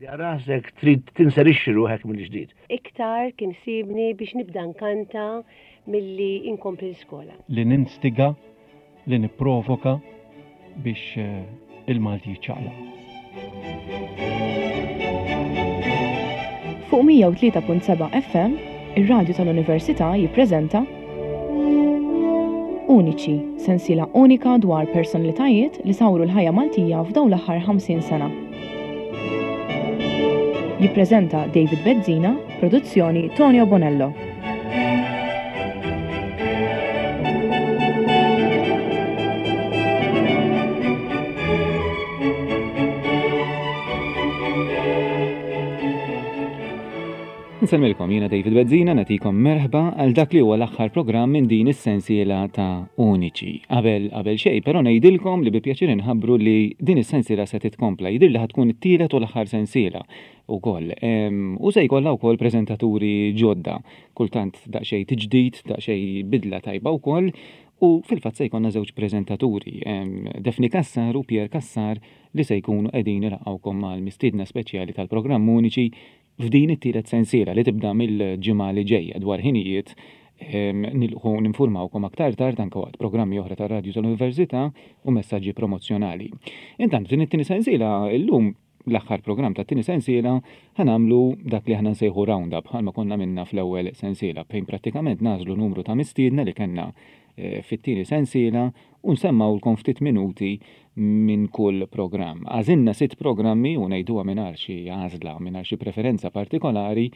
Rasek trid tinserixxi ruħek mill-ġdid. Iktar kien sibni biex nibda nkanta milli inkompli l-iskola. Li ninstiga, li nipprovoka biex il-Malti jiċċaqlaq. Fuq 103.7 FM, ir-radju tal-Università jippreżenta Uniċi, sensiela unika dwar personalitajiet li sawru l-ħajja Maltija f'dawn l-aħħar 50 sena. Jippreżenta David Bezzina, produzzjoni Tonio Bonello. Nsellmilkom jiena David Bezzina nagħtikom merħba għal dak li huwa l-aħħar programm minn din is-sensiela ta' Uniċi. Qabel qabel xejn, però ngħidilkom li bi pjaċir inħabbru li din is-sensiela se titkompla. Jidhirli ħa tkun it-tielet u l-aħħar sensiela wkoll. U se jkollha wkoll preżentaturi ġodda. Kultant daqsxejn tiġdid, daqsxejn bidla tajba wkoll. U fil-fatt se jkollna żewġ preżentaturi, Daphne Cassar u Pierre Cassar li se jkunu qegħdin ilaqgħukom mal-mistiedna speċjali tal-programm Uniċi f'din it-tielet sensiela li tibda mill-ġimgħa li ġejja dwar ħinijiet nilħu ninfurmawkom aktar tard anke waqt programmi oħra tar-radju tal-Università u messaġġi promozzjonali. Intant f'din it-tieni sensiela llum l-aħħar programm tat-tieni sensiela ħa nagħmlu dak li aħna nsejħu round-up bħalma konna għamilna fl-ewwel sensiela fejn prattikament nagħżlu numru ta' mistiedna li kellna fit-tieni sensiela u nsemmgħulkom ftit minuti minn kull programm. Għażilna sitt programmi u ngħiduha mingħajr xi għażla, mingħajr xi preferenza partikolari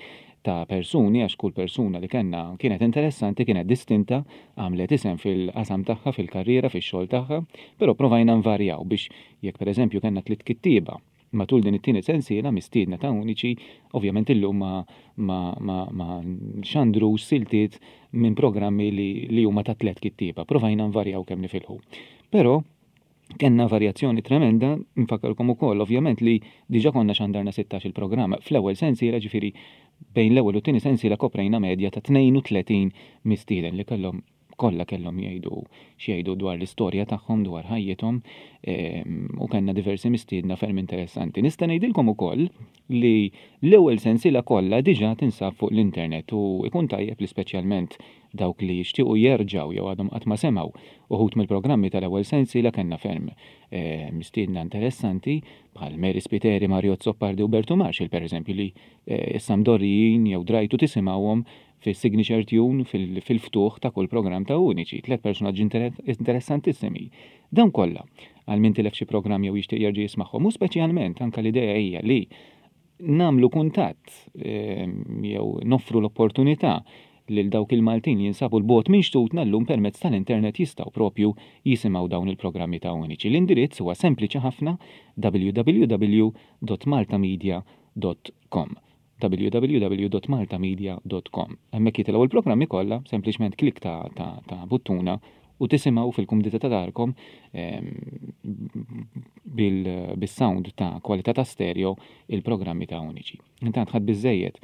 ta' persuni għax kull persuna li kellna kienet interessanti, kienet distinta, għamlet isem fil-qasam tagħha, fil-karriera, fix-xogħol tagħha, però provajna nvarjaw biex jekk pereżempju kellna tliet kittieba matul din it-tieni sensiela mistiedna ta' Uniċi, ovvjament illum ma ma ma ma nxandrux siltiet minn programmi li li huma ta' tliet kittieba. Provajna nvarjaw kemm nifilħu. Però kellna varjazzjoni tremenda, nfakkarkom ukoll ovvjament li diġà konna xandarna 16 il-programm fl-ewwel sensiela, ġifieri bejn l-ewwel u t-tieni sensiela koprejna medja ta' 32 mistieden li kellhom kollha kellhom jgħidu x'jgħidu dwar l-istorja tagħhom, dwar ħajjithom, u kellna diversi mistiedna ferm interessanti. Nista' ngħidilkom ukoll li l-ewwel sensiela kollha diġà tinsab fuq l-internet u ikun tajjeb li speċjalment dawk li jixtiequ jerġgħu jew għadhom qatt ma semgħu uħud mill-programmi tal-ewwel sensiela kellna ferm mistiedna interessanti bħal Mary Spiteri, Mario Azzopardi u Bertu Marshall pereżempju li issa mdorrijin jew drajtu tisimgħuhom fis-signature tune fil-ftuħ ta' kull programm ta' Uniċi, tliet personaġġi interessantissimi. Dawn kollha, għal min tilef xi programm jew jixtieq jerġa' jismagħhom, u speċjalment anke l-idea hija li nagħmlu kuntatt jew noffru l-opportunità lil dawk il-Maltin li jinsabu 'l bogħod minn xtutna llum permezz tal-internet jistgħu propju jisimgħu dawn il-programmi ta' Uniċi. L-indirizz huwa sempliċi ħafna www.maltamedia.com www.maltamedia.com. Hemmhekk jitilgħu l-programmi kollha, sempliċement klik ta', ta, ta buttuna u tisimgħu fil-kumdità ta' darkom ehm, bil-sound ta' kwalità ta' stereo il-programmi ta' Uniċi. Intant ħadd biżejjed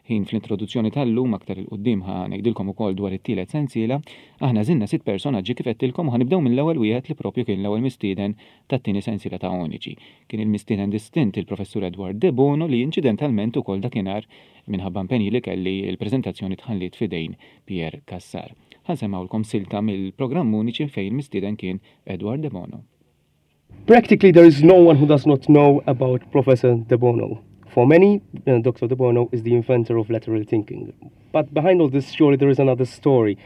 ħin fl-introduzzjoni tal-lum aktar il-qudiem ħa ngħidilkom ukoll dwar it-tielet sensiela, aħna żinna sitt personaġġi kif għedtilkom u ħanibdew mill-ewwel wieħed li propju kien l-ewwel mistieden tat-tieni sensiela ta' Uniċi. Kien il-mistieden distint il-Professur Edward De Bono li inċidentalment ukoll dakinhar minħabba impenji li kelli l-preżentazzjoni tħalliet f'idejn Pierre Cassar. Ħa nsemmgħulkom silta mill-programm Uniċi fejn il-mistieden kien Edward De Bono. Practically there is no one who does not know about Professor De Bono. For many, uh, Dr. De Bono is the inventor of lateral thinking. But behind all this, surely there is another story.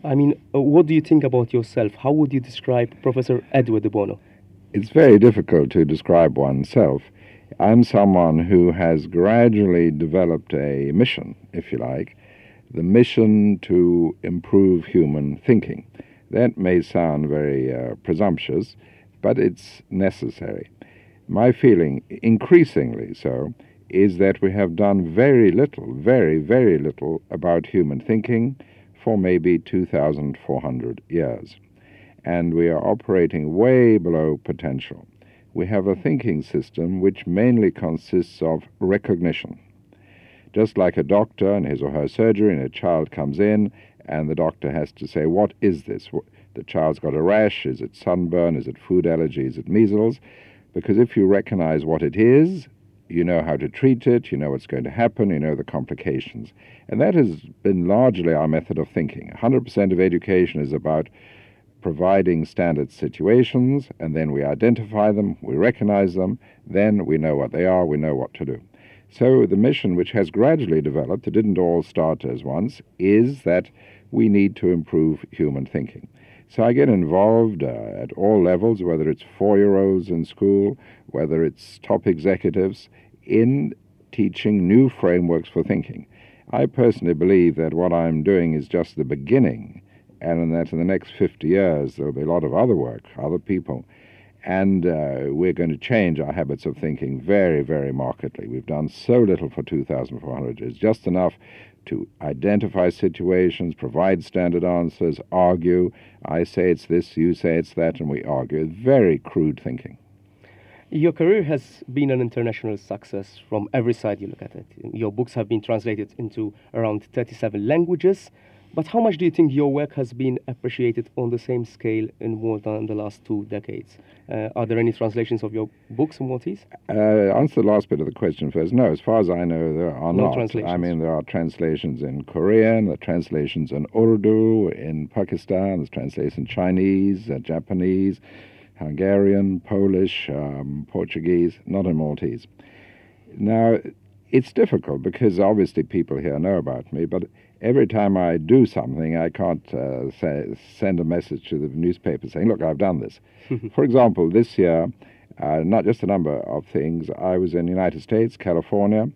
I mean, uh, what do you think about yourself? How would you describe Professor Edward de Bono? It's very difficult to describe oneself. I'm someone who has gradually developed a mission, if you like, the mission to improve human thinking. That may sound very uh, presumptuous, but it's necessary. My feeling, increasingly so, is that we have done very little, very, very little about human thinking for maybe 2,400 years. And we are operating way below potential. We have a thinking system which mainly consists of recognition. Just like a doctor and his or her surgery, and a child comes in, and the doctor has to say, What is this? The child's got a rash. Is it sunburn? Is it food allergy? Is it measles? Because if you recognize what it is, You know how to treat it, you know what's going to happen, you know the complications. And that has been largely our method of thinking. 100% of education is about providing standard situations, and then we identify them, we recognize them, then we know what they are, we know what to do. So the mission, which has gradually developed, it didn't all start as once, is that we need to improve human thinking. So I get involved at all levels, whether it's 4-year-olds in school, whether it's top executives, in teaching new frameworks for thinking. I personally believe that what I'm doing is just the beginning, and that in the next 50 years there'll be a lot of other work, other people, and we're going to change our habits of thinking very, very markedly. We've done so little for 2,400 years, just enough to identify situations, provide standard answers, argue. I say it's this, you say it's that, and we argue. Very crude thinking. Your career has been an international success from every side you look at it. Your books have been translated into around 37 languages. But how much do you think your work has been appreciated on the same scale in Malta in the last 2 decades? Are there any translations of your books in Maltese? Answer the last bit of the question first. No, as far as I know, there are No not. translations. There are translations in Korean, there are translations in Urdu, in Pakistan, there's translations in Chinese, Japanese, Hungarian, Polish, Portuguese, not in Maltese. Now, it's difficult because obviously people here know about me, but every time I do something, I can't send a message to the newspaper saying, look, I've done this. For example, this year, not just a number of things, I was in the United States, California,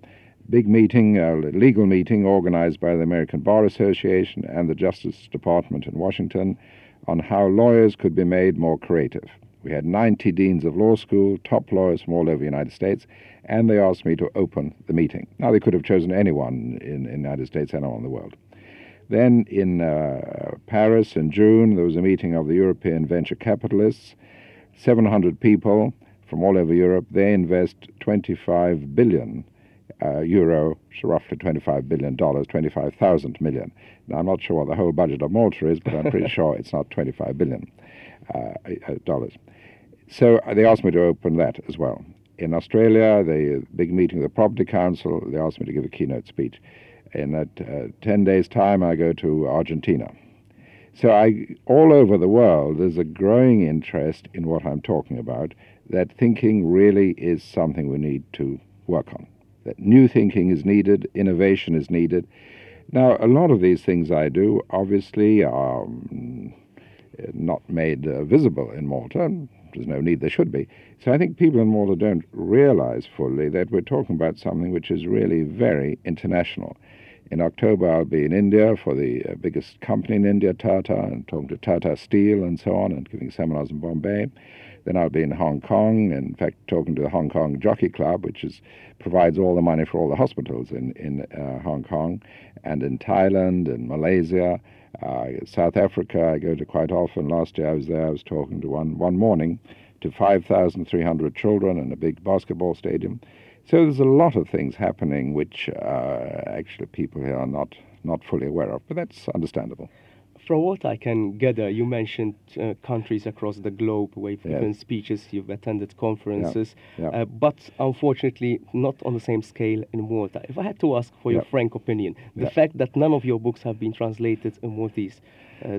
big meeting, legal meeting organized by the American Bar Association and the Justice Department in Washington on how lawyers could be made more creative. We had 90 deans of law school, top lawyers from all over the United States, and they asked me to open the meeting. Now, they could have chosen anyone in the United States, anyone in the world. Then in Paris in June, there was a meeting of the European venture capitalists, 700 people from all over Europe. They invest 25 billion euro, so roughly $25 billion, 25,000 million. Now, I'm not sure what the whole budget of Malta is, but I'm pretty sure it's not $25 billion. Dollars. So they asked me to open that as well. In Australia, the big meeting of the Property Council, they asked me to give a keynote speech. In that 10 days' time, I go to Argentina. So all over the world, there's a growing interest in what I'm talking about, that thinking really is something we need to work on, that new thinking is needed, innovation is needed. Now, a lot of these things I do, obviously, are not made visible in Malta. There's no need, there should be. So I think people in Malta don't realize fully that we're talking about something which is really very international. In October, I'll be in India for the biggest company in India, Tata, and talking to Tata Steel and so on, and giving seminars in Bombay. Then I'll be in Hong Kong, in fact, talking to the Hong Kong Jockey Club, which provides all the money for all the hospitals in Hong Kong, and in Thailand and Malaysia. South Africa, I go to quite often. Last year I was there, I was talking to one morning to 5,300 children in a big basketball stadium. So there's a lot of things happening which actually people here are not fully aware of, but that's understandable. From what I can gather, you mentioned countries across the globe where you've given speeches, you've attended conferences, but unfortunately not on the same scale in Malta. If I had to ask for your frank opinion, the fact that none of your books have been translated in Maltese,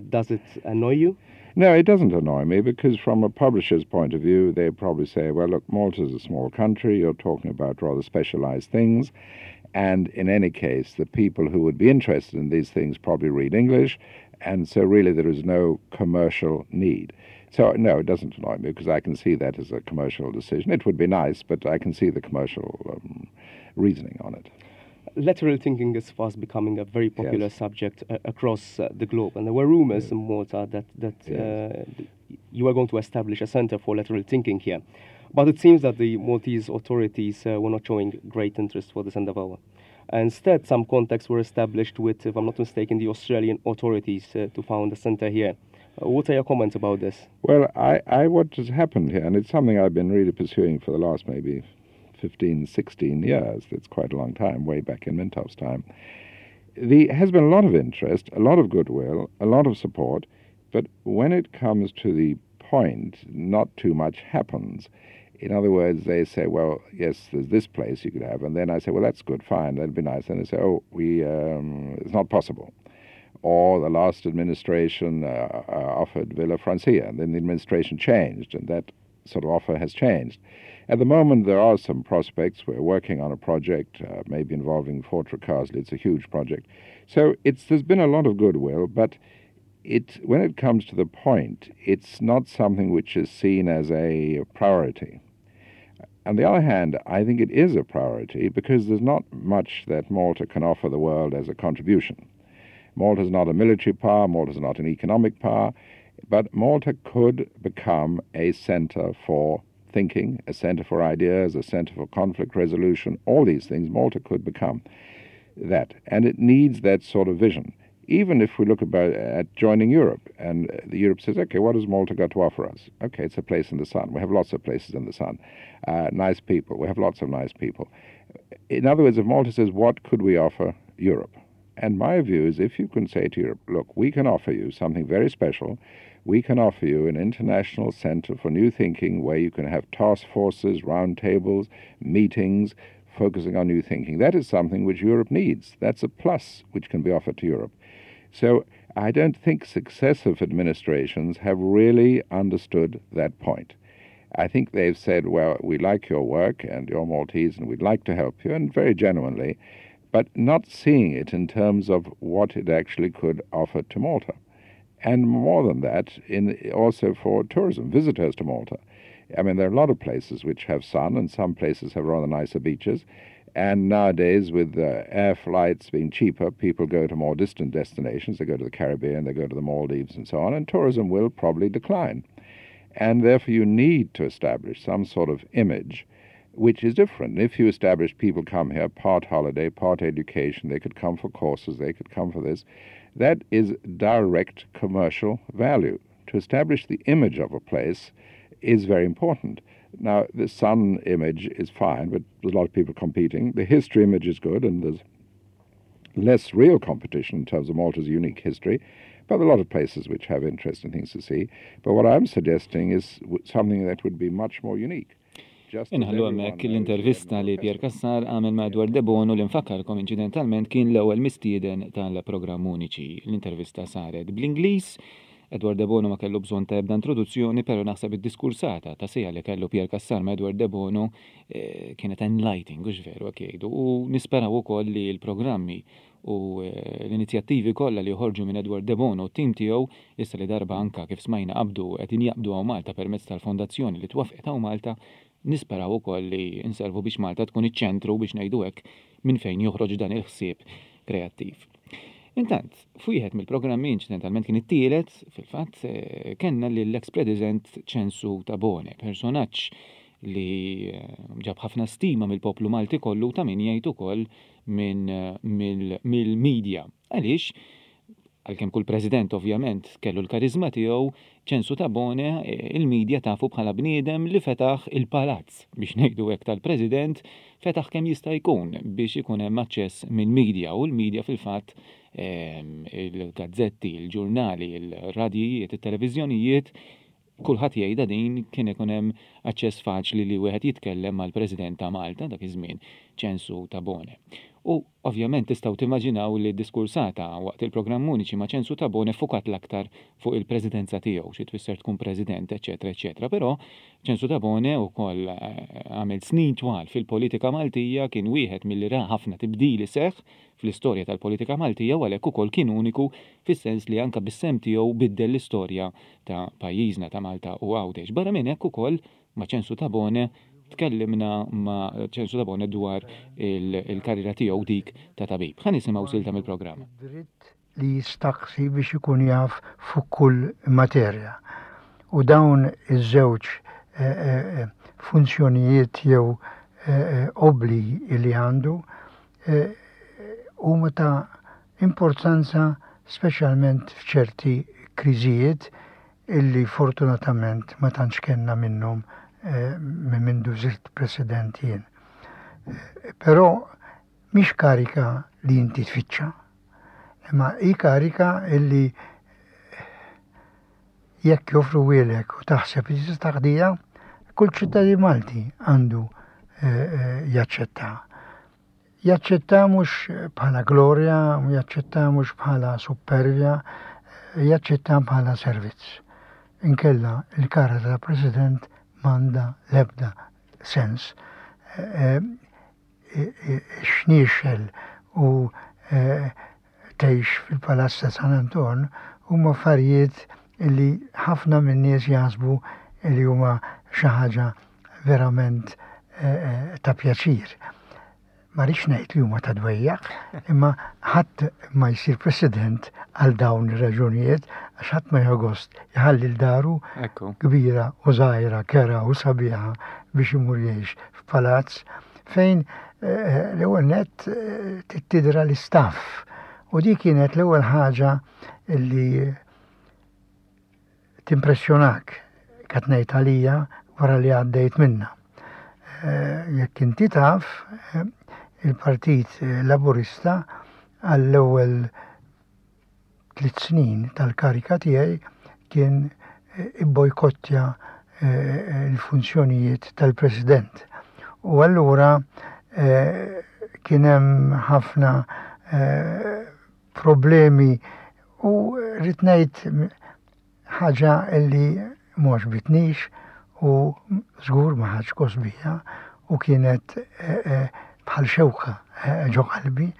does it annoy you? No, it doesn't annoy me, because from a publisher's point of view, they probably say, well, look, Malta's a small country, you're talking about rather specialized things, and in any case, the people who would be interested in these things probably read English, and so really there is no commercial need. So, no, it doesn't annoy me, because I can see that as a commercial decision. It would be nice, but I can see the commercial reasoning on it. Lateral thinking is fast becoming a very popular subject across the globe, and there were rumors in Malta that you were going to establish a center for lateral thinking here. But it seems that the Maltese authorities were not showing great interest for this endeavor. Instead, some contacts were established with, if I'm not mistaken, the Australian authorities to found a center here. What are your comments about this? What has happened here, and it's something I've been really pursuing for the last maybe 15, 16 years, that's quite a long time, way back in Mintoff's time, there has been a lot of interest, a lot of goodwill, a lot of support, but when it comes to the point, not too much happens. In other words, they say, well, yes, there's this place you could have. And then I say, well, that's good, fine, that'd be nice. And they say, oh, we, um, it's not possible. Or the last administration uh, uh, offered Villa Francia, and then the administration changed, and that sort of offer has changed. At the moment, there are some prospects. We're working on a project, uh, maybe involving Fort Ricasoli. It's a huge project. So it's, there's been a lot of goodwill, but it, when it comes to the point, it's not something which is seen as a priority. On the other hand, I think it is a priority because there's not much that Malta can offer the world as a contribution. Malta is not a military power, Malta is not an economic power, but Malta could become a center for thinking, a center for ideas, a center for conflict resolution, all these things Malta could become that. And it needs that sort of vision. Even if we look about at joining Europe, and the Europe says, okay, what has Malta got to offer us? Okay, it's a place in the sun. We have lots of places in the sun. Uh, nice people. We have lots of nice people. In other words, if Malta says, what could we offer Europe? And my view is if you can say to Europe, look, we can offer you something very special. We can offer you an international center for new thinking where you can have task forces, roundtables, meetings focusing on new thinking. That is something which Europe needs. That's a plus which can be offered to Europe. So I don't think successive administrations have really understood that point. I think they've said, well, we like your work and you're Maltese and we'd like to help you, and very genuinely, but not seeing it in terms of what it actually could offer to Malta. And more than that, in also for tourism, visitors to Malta. I mean, there are a lot of places which have sun, and some places have rather nicer beaches. And nowadays, with uh, air flights being cheaper, people go to more distant destinations. They go to the Caribbean, they go to the Maldives, and so on, and tourism will probably decline. And therefore, you need to establish some sort of image which is different. If you establish people come here, part holiday, part education, they could come for courses, they could come for this, that is direct commercial value. To establish the image of a place is very important. Now, the sun image is fine, but there's a lot of people competing. The history image is good, and there's less real competition in terms of Malta's unique history, but there are a lot of places which have interesting things to see. But what I'm suggesting is something that would be much more unique. Inħallu hemmhekk l-intervista li Pierre Cassar għamel ma' Edward Debono li nfakkarkom inċidentalment kien l-ewwel mistieden tal-programm Uniċi. L-intervista saret bl-Ingliż. Edward Debono ma kellu bżonn ta' ebda introduzzjoni però naħseb id-diskursata ta' siegħa li kellu Pierre Cassar ma' Edward Debono eh, kienet enlightening, hux veru hekk jgħidu, u nisperaw ukoll li l-programmi u eh, l-inizjattivi kollha li joħorġu minn Edward Debono u t-tim tiegħu issa li darba anka kif smajna qabdu qegħdin jaqbdu hawn Malta permezz tal-fondazzjoni li twaffqet hawn Malta Nisperaw ukoll li nservu biex Malta tkun iċ-ċentru biex ngħidu hekk minn fejn joħroġ dan il-ħsieb kreattiv. Intant, f'wieħed mill-programmi inċidentalment kien it-tielet, fil-fatt, eh, kellna lill-eks President Ċensu Tabone, personaġġ li eh, ġab ħafna stima mill-poplu Malti kollu ta' min jgħid ukoll minn eh, mill-media. Għaliex Għalkemm kull President ovvjament kellu l-kariżma tiegħu, Ċensu Tabone il-media tafu bħala bniedem li fetaħ il-palazz, biex ngħidu hekk tal-President, fetaħ kemm jista' jkun biex ikun hemm aċċess mill-media u l-media fil-fatt il-gazzetti, il-ġurnali, il-radjijiet, it-televiżjonijiet Kulħadd jgħidha din, kien ikun hemm aċċess faċli li wieħed jitkellem mal-President ta' Malta dak iż-żmien, Ċensu Tabone. U ovvjament tistgħu timmaġinaw li d-diskursata waqt il-programm Uniċi ma' Ċensu Tabone ffukat l-aktar fuq il-presidenza tiegħu, xi tfisser tkun president, eċċetera eċċetera. Però Ċensu Tabone wkoll għamel snin twal fil-politika Maltija, kien wieħed milli ra ħafna tibdil iseħħ fl-istorja tal-politika Maltija u għalhekk ukoll kien uniku fis-sens li anke bis-sehem tiegħu biddel l-istorja ta' pajjiżna ta' Malta u Għawdex. Barra minn hekk ukoll ma' Ċensu Tabone tkellimna ma' Ċensu Tabone dwar il-karriera tiegħu dik ta' tabib. Ħa nisimgħu silta mill-programm. Id-dritt li jistaqsi biex ikun jaf fuq kull materja. U dawn iż-żewġ funzjonijiet jew obbligi li għandu huma ta' importanza speċjalment f'ċerti kriżijiet illi fortunatament ma tantx kellna minnhom minn mindu sirt President jien. Però mhix karika li inti tfittxa, imma hi karika illi jekk joffruhielek u taħseb li tista' taqdiha, Kull ċittadin Malti għandu eh, eh, jaċċetta. Jaċċetta mhux bħala glorja, jaċċetta mhux bħala supervja, jaċċetta bħala servizz. Inkella il-kara ta' President m'għandha l-ebda sens. Eh, Xniexel u tgħix fil-Palazz ta' San Anton huma affarijiet li ħafna min-nies jaħsbu li huma xi ħaġa verament eh, eh, ta' pjaċir. Ma rridx ngħid li huma ta' dwejjaq, imma ħadd ma jsir president għal dawn ir-raġunijiet għax ħadd ma jħogost jħalli l-daru kbira u żgħira, kera u sabiħa biex imur jgħix f'palazz fejn eh, l-ewwel nett eh, tidra l-istaff. U di kienet l-ewwel ħaġa li timpressjonak qed ngħid għalija wara li għaddejt minna. Eh, jekk inti taf, il-Partit Laburista għall-ewwel tliet snin tal-karika tiegħi kien ibbojkottja l-funzjonijiet tal-President. U allura kien hemm ħafna problemi u rrid ngħid Ħaġa li m'għoġbitnix u żgur ma ħadx gost bija u kienet eh, eh, bħal xewka eh, ġo qalbi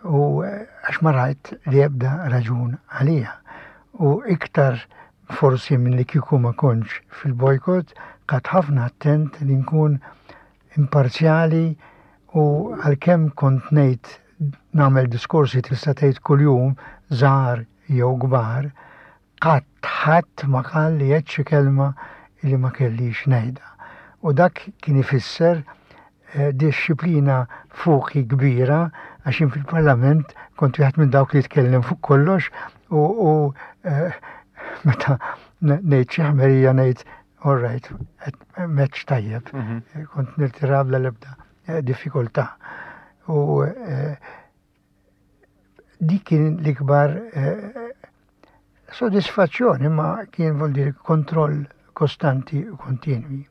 u għax ma rajt li ebda raġun għalija. U iktar forsi minn li kieku ma kontx fil-bojkot, kat ħafna attent li nkun imparzjali u għalkemm kont ngħid nagħmel diskorsi tista' tgħid kuljum żgħar jew kbar, qatt ħadd ma qal li għedt xi kelma li ma kellix ngħidha. U dak kien ifisser eh, dixxiplina fuqi kbira għax jien fil-Parlament kont wieħed minn dawk li jitkellem fuq kollox u, u eh, meta ngħid xi ħmerija ngħid all right, meċ tajjeb, mhm. kont nirtira bla l-ebda eh, diffikultà. U Dik kien l-ikbar eh, sodisfazzjoni ma kien vol dir kontroll kostanti u kontinwi.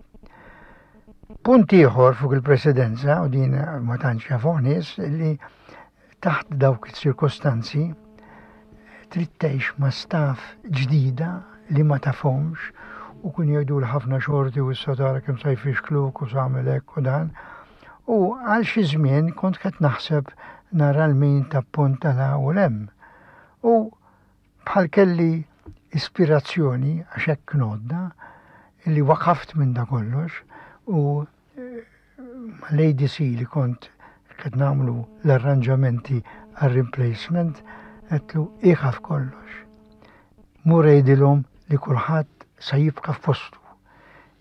Punt ieħor fuq il-presidenza, u din ma tantx jafuh nies, li taħt dawk iċ-ċirkostanzi trid tgħix ma' staff ġdida li ma tafhomx u kun jgħidu ħafna xorti u issa tara kemm sa jfixkluk u sa hekk u dan. U għal xi żmien kont qed naħseb nara 'l min tapponta 'l hawn u 'l hemm. U bħal kelli ispirazzjoni, għax hekk ngħoddha, illi waqaft minn da kollox u eh, mal-ADC li kont qed nagħmlu l-arranġamenti għar-replacement, għedtlu iqaf kollox. Mur għidilhom li kulħadd sa jibqa' f'postu.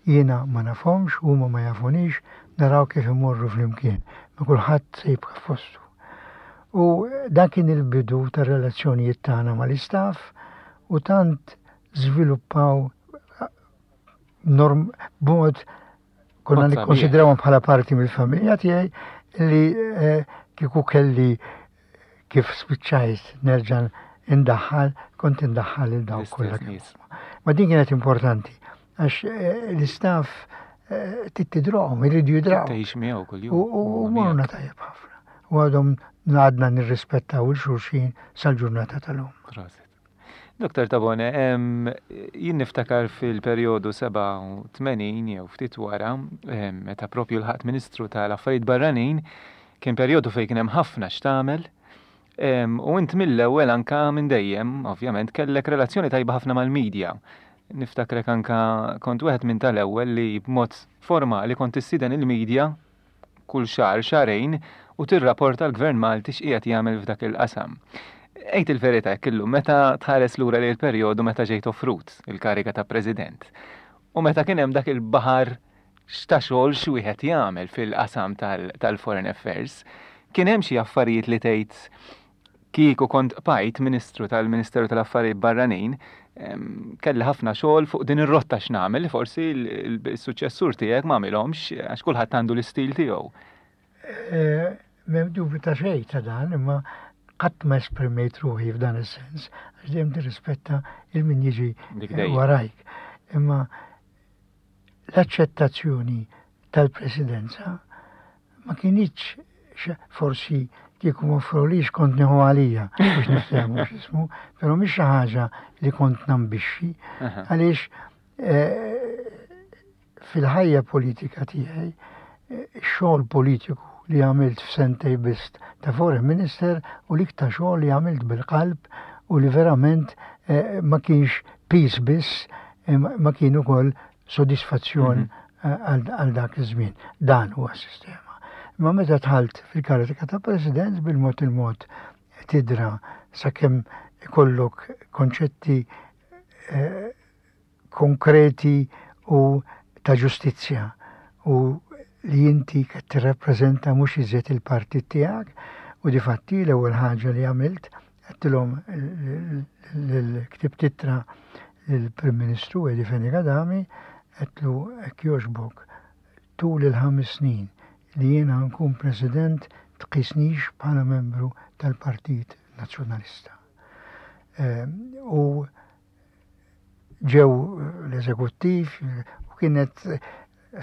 Jiena ma nafhomx, huma ma jafunix, naraw kif imorru flimkien, ma kulħadd se jibqa' f'postu. U dan kien il-bidu tar-relazzjonijiet tagħna mal-istaff u tant żviluppaw norm b'mod konna nikkonsidrawhom bħala parti mill-familja tiegħi li eh, kieku kelli kif spiċċajt nerġa' indaħħal, kont indaħħal il dawk kollha. Ma din kienet importanti għax eh, l-istaff eh, tittidrohom, iridu jidraw. Tgħix miegħu kuljum. U morna tajjeb ħafna. U għadhom għadna nirrispettaw il-xulxin sal-ġurnata tal-lum. Prosit. Dr. Tabone, jien niftakar fil-perjodu 87 jew ftit wara, meta propju l-ħadd Ministru tal-Affarijiet Barranin, kien perjodu fejn kien hemm ħafna x'tagħmel, u int mill-ewwel anka minn dejjem, ovvjament, kellek relazzjoni tajba ħafna mal-medja. Niftakrek anka kont wieħed minn tal-ewwel li b'mod formali kont tistieden il-medja kull xahar, xahrejn u tirrapporta l-Gvern Malti x'qiegħed jagħmel f'dak il-qasam. Għid il-verità hekk illum, meta tħares lura lejn il-perjodu meta ġejt offrut il-kariga ta' President u meta kien hemm dak il-baħar x'ta' xogħol x'wieħed jagħmel fil-qasam tal-Foreign Affairs, kien hemm xi affarijiet li tgħid Kieku kont bqajt Ministru tal-Ministeru tal-Affarijiet Barranin, kelli ħafna xogħol fuq din ir-rotta x'nagħmel li forsi l-suċċessur tiegħek ma għamilhomx għax kulħadd għandu l-istil tiegħu. Eh, m'hemm dubju ta' xejn ta' dan, imma qatt ma esprimejt ruħi f'dan is-sens, għax dejjem tirrispetta il min jiġi warajk. Imma L-aċċettazzjoni tal-presidenza ma kinitx forsi kieku m'offrulix kont nieħu għalija biex niftehmu x'ismu, però mhix xi ħaġa li kont nambixxi għaliex eh, fil-ħajja politika tiegħi eh, xogħol politiku li għamilt f'sentej biss ta' foreign minister u l-iktar xogħol li għamilt bil-qalb u li verament eh, ma kienx peace biss ma kien ukoll sodisfazzjon mhm. eh, għal dak iż-żmien. Dan huwa s-sistema. Imma meta dħalt fil-kariga ta' president bil-mod il-mod tidra sakemm ikollok konċetti eh, konkreti u ta' ġustizzja u li inti qed tirrappreżenta mhux iżjed il-partit tiegħek u difatti l-ewwel ħaġa li għamilt Għedtilhom l-ktibt ittra lill-Prim Ministru Eddie Fenech Adami, għedtlu hekk jogħġbok tul il-ħames snin li jiena nkun President tqisnix bħala membru tal-Partit Nazzjonalista. Ehm, u ġew l-eżekuttiv u kienet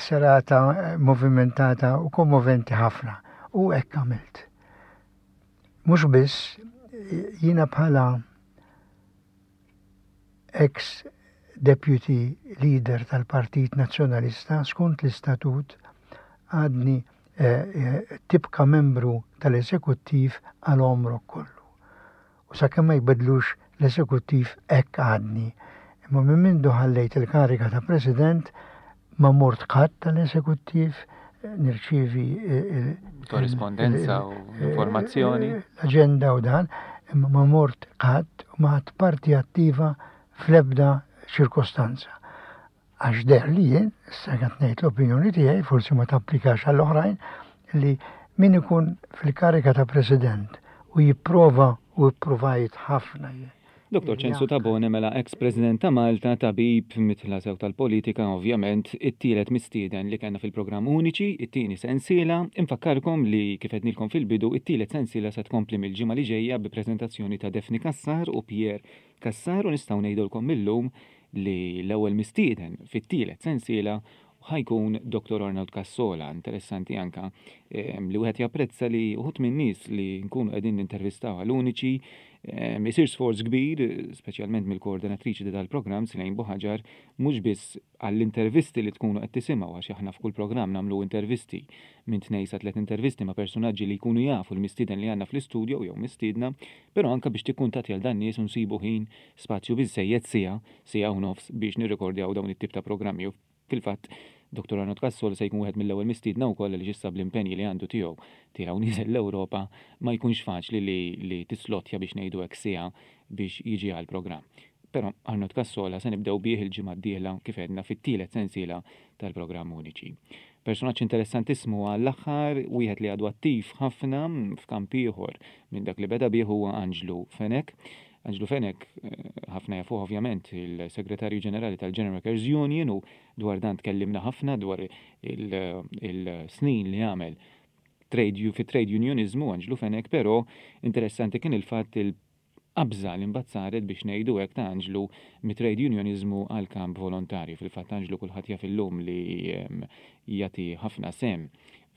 serata movimentata u kommoventi ħafna. U hekk għamilt. Mhux biss, jiena bħala ex deputy leader tal-Partit Nazzjonalista skont l-istatut għadni eh, eh, tibqa membru tal-eżekuttiv għal għomrok kollu. U sakemm ma jbidlux l-eżekuttiv hekk għadni. Imma minn mindu ħallejt il-kariga ta' president Ma mort qatt tal-eżekuttiv nirċievi korrispondenza u informazzjoni. L-aġenda u dan, imma ma mort qatt u ma ħadt parti attiva fl-ebda ċirkostanza. Għax deher li jien, issa qed ngħid l-opinjoni tiegħi, forsi ma tapplikax għall-oħrajn, li min ikun fil-kariga ta' president u jipprova u ippruvajt ħafna jien. Dottor Ċensu Tabone mela eks President ta' Malta, tabib, midħla sew tal-politika, ovvjament, it-tielet mistieden li kellna fil-programm Uniċi, it-tieni sensiela. Infakkarkom li, kif għednilkom fil-bidu, it-tielet sensiela se tkompli mill-ġimgħa li ġejja bi preżentazzjoni ta' Daphne Cassar u Pierre Cassar u nistgħu ngħidulkom mil-lum li l-ewwel mistieden fit-tielet sensiela ħa jkun Dottor Arnold Cassola. Interessanti anka li wieħed japprezza li uħud min-nies li nkunu qegħdin nintervistaw għal Uniċi isir sforz kbir, speċjalment mill-koordinatriċi ta' dal-programm, Silane Buhaġar, mhux biss għall-intervisti li tkunu qed tisimgħu għax aħna f'kull programm nagħmlu intervisti minn tnejn sa tliet intervisti ma' persunaġġi li jkunu jafu l-mistieden li għandna fl-istudio jew mistiedna, però anka biex tikkuntattja 'l dan-nies u nsibu ħin, spazju biżżejjed siegħa, siegħa u nofs biex nirrikordjaw dawn it-tip ta' programmi u fil-fatt Dottor Arnold Cassol se jkun wieħed mill-ewwel mistiedna wkoll għaliex issa bl-impenji li għandu tiegħu tiela' u nieżel l-Ewropa ma jkunx faċli li li tislottja biex ngħidu hekk siegħa biex jiġi għall-programm. Però Arnold Cassola se nibdew bih il-ġimgħa d-dieħla kif għedna fit-tielet sensiela tal-programm Uniċi. Personaġġ interessantissmu għall-aħħar, wieħed li għadu attiv ħafna f'kamp ieħor minn dak li beda bih huwa Anġlu Fenech. Anġlu Fenech, ħafna jafuh ovvjament, il-Segretarju Ġenerali tal-General Workers Union u dwar dan tkellimna ħafna dwar il-snin li għamel trade fit-trade unioniżmu Anġlu Fenech, però interessanti kien il-fatt il-qabża li mbagħad saret biex ngħidu hekk ta' Anġlu mit-trade unioniżmu għall-kamp volontarju. Fil-fatt Anġlu kulħadd jaf illum li jagħti ħafna sehem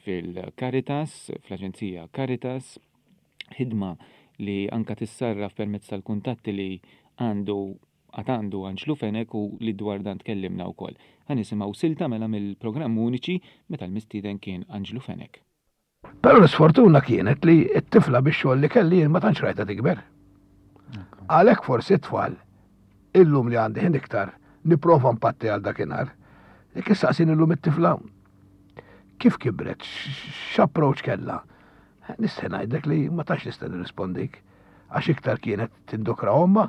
fil-Caritas, fl-Aġenzija Caritas, ħidma li anka tissarraf permezz tal-kuntatti li għandu għad għandu Anġlu Fenech u li dwar dan tkellimna wkoll. Ħa nisimgħu silta mela mill-programm Uniċi meta l-mistieden kien Anġlu Fenech. Però l-isfortuna kienet li t-tifla bix-xogħol li kelli jien ma tantx rajtha tikber. Għalhekk forsi t-tfal illum li għandi ħin iktar nipprova npatti għal dakinhar. Jekk issaqsini llum it-tifla kif kibret, x'approach kellha, Nista' ngħidlek li ma tantx nista' nirrispondik għax iktar kienet tindokra ommha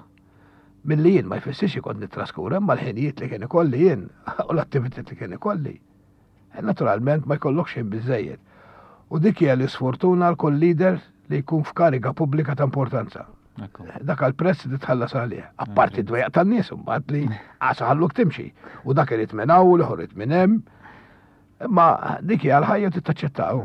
milli jien ma jfissirx li kont nittraskura imma l-ħinijiet li kien ikolli jien u l-attivitajiet li kien ikolli. Eh, naturalment ma jkollokx ħin biżejjed. U dik hija l-isfortuna għal kull leader li jkun f'kariga pubblika ta' importanza. Dak għal prezz li tħallas għalih. Apparti d-dwejaq tan-nies imbagħad li għasa ħalluk timxi. U dak irid minn hawn u l-ieħor irid minn hemm. Imma dik hija l-ħajja trid taċċettaw.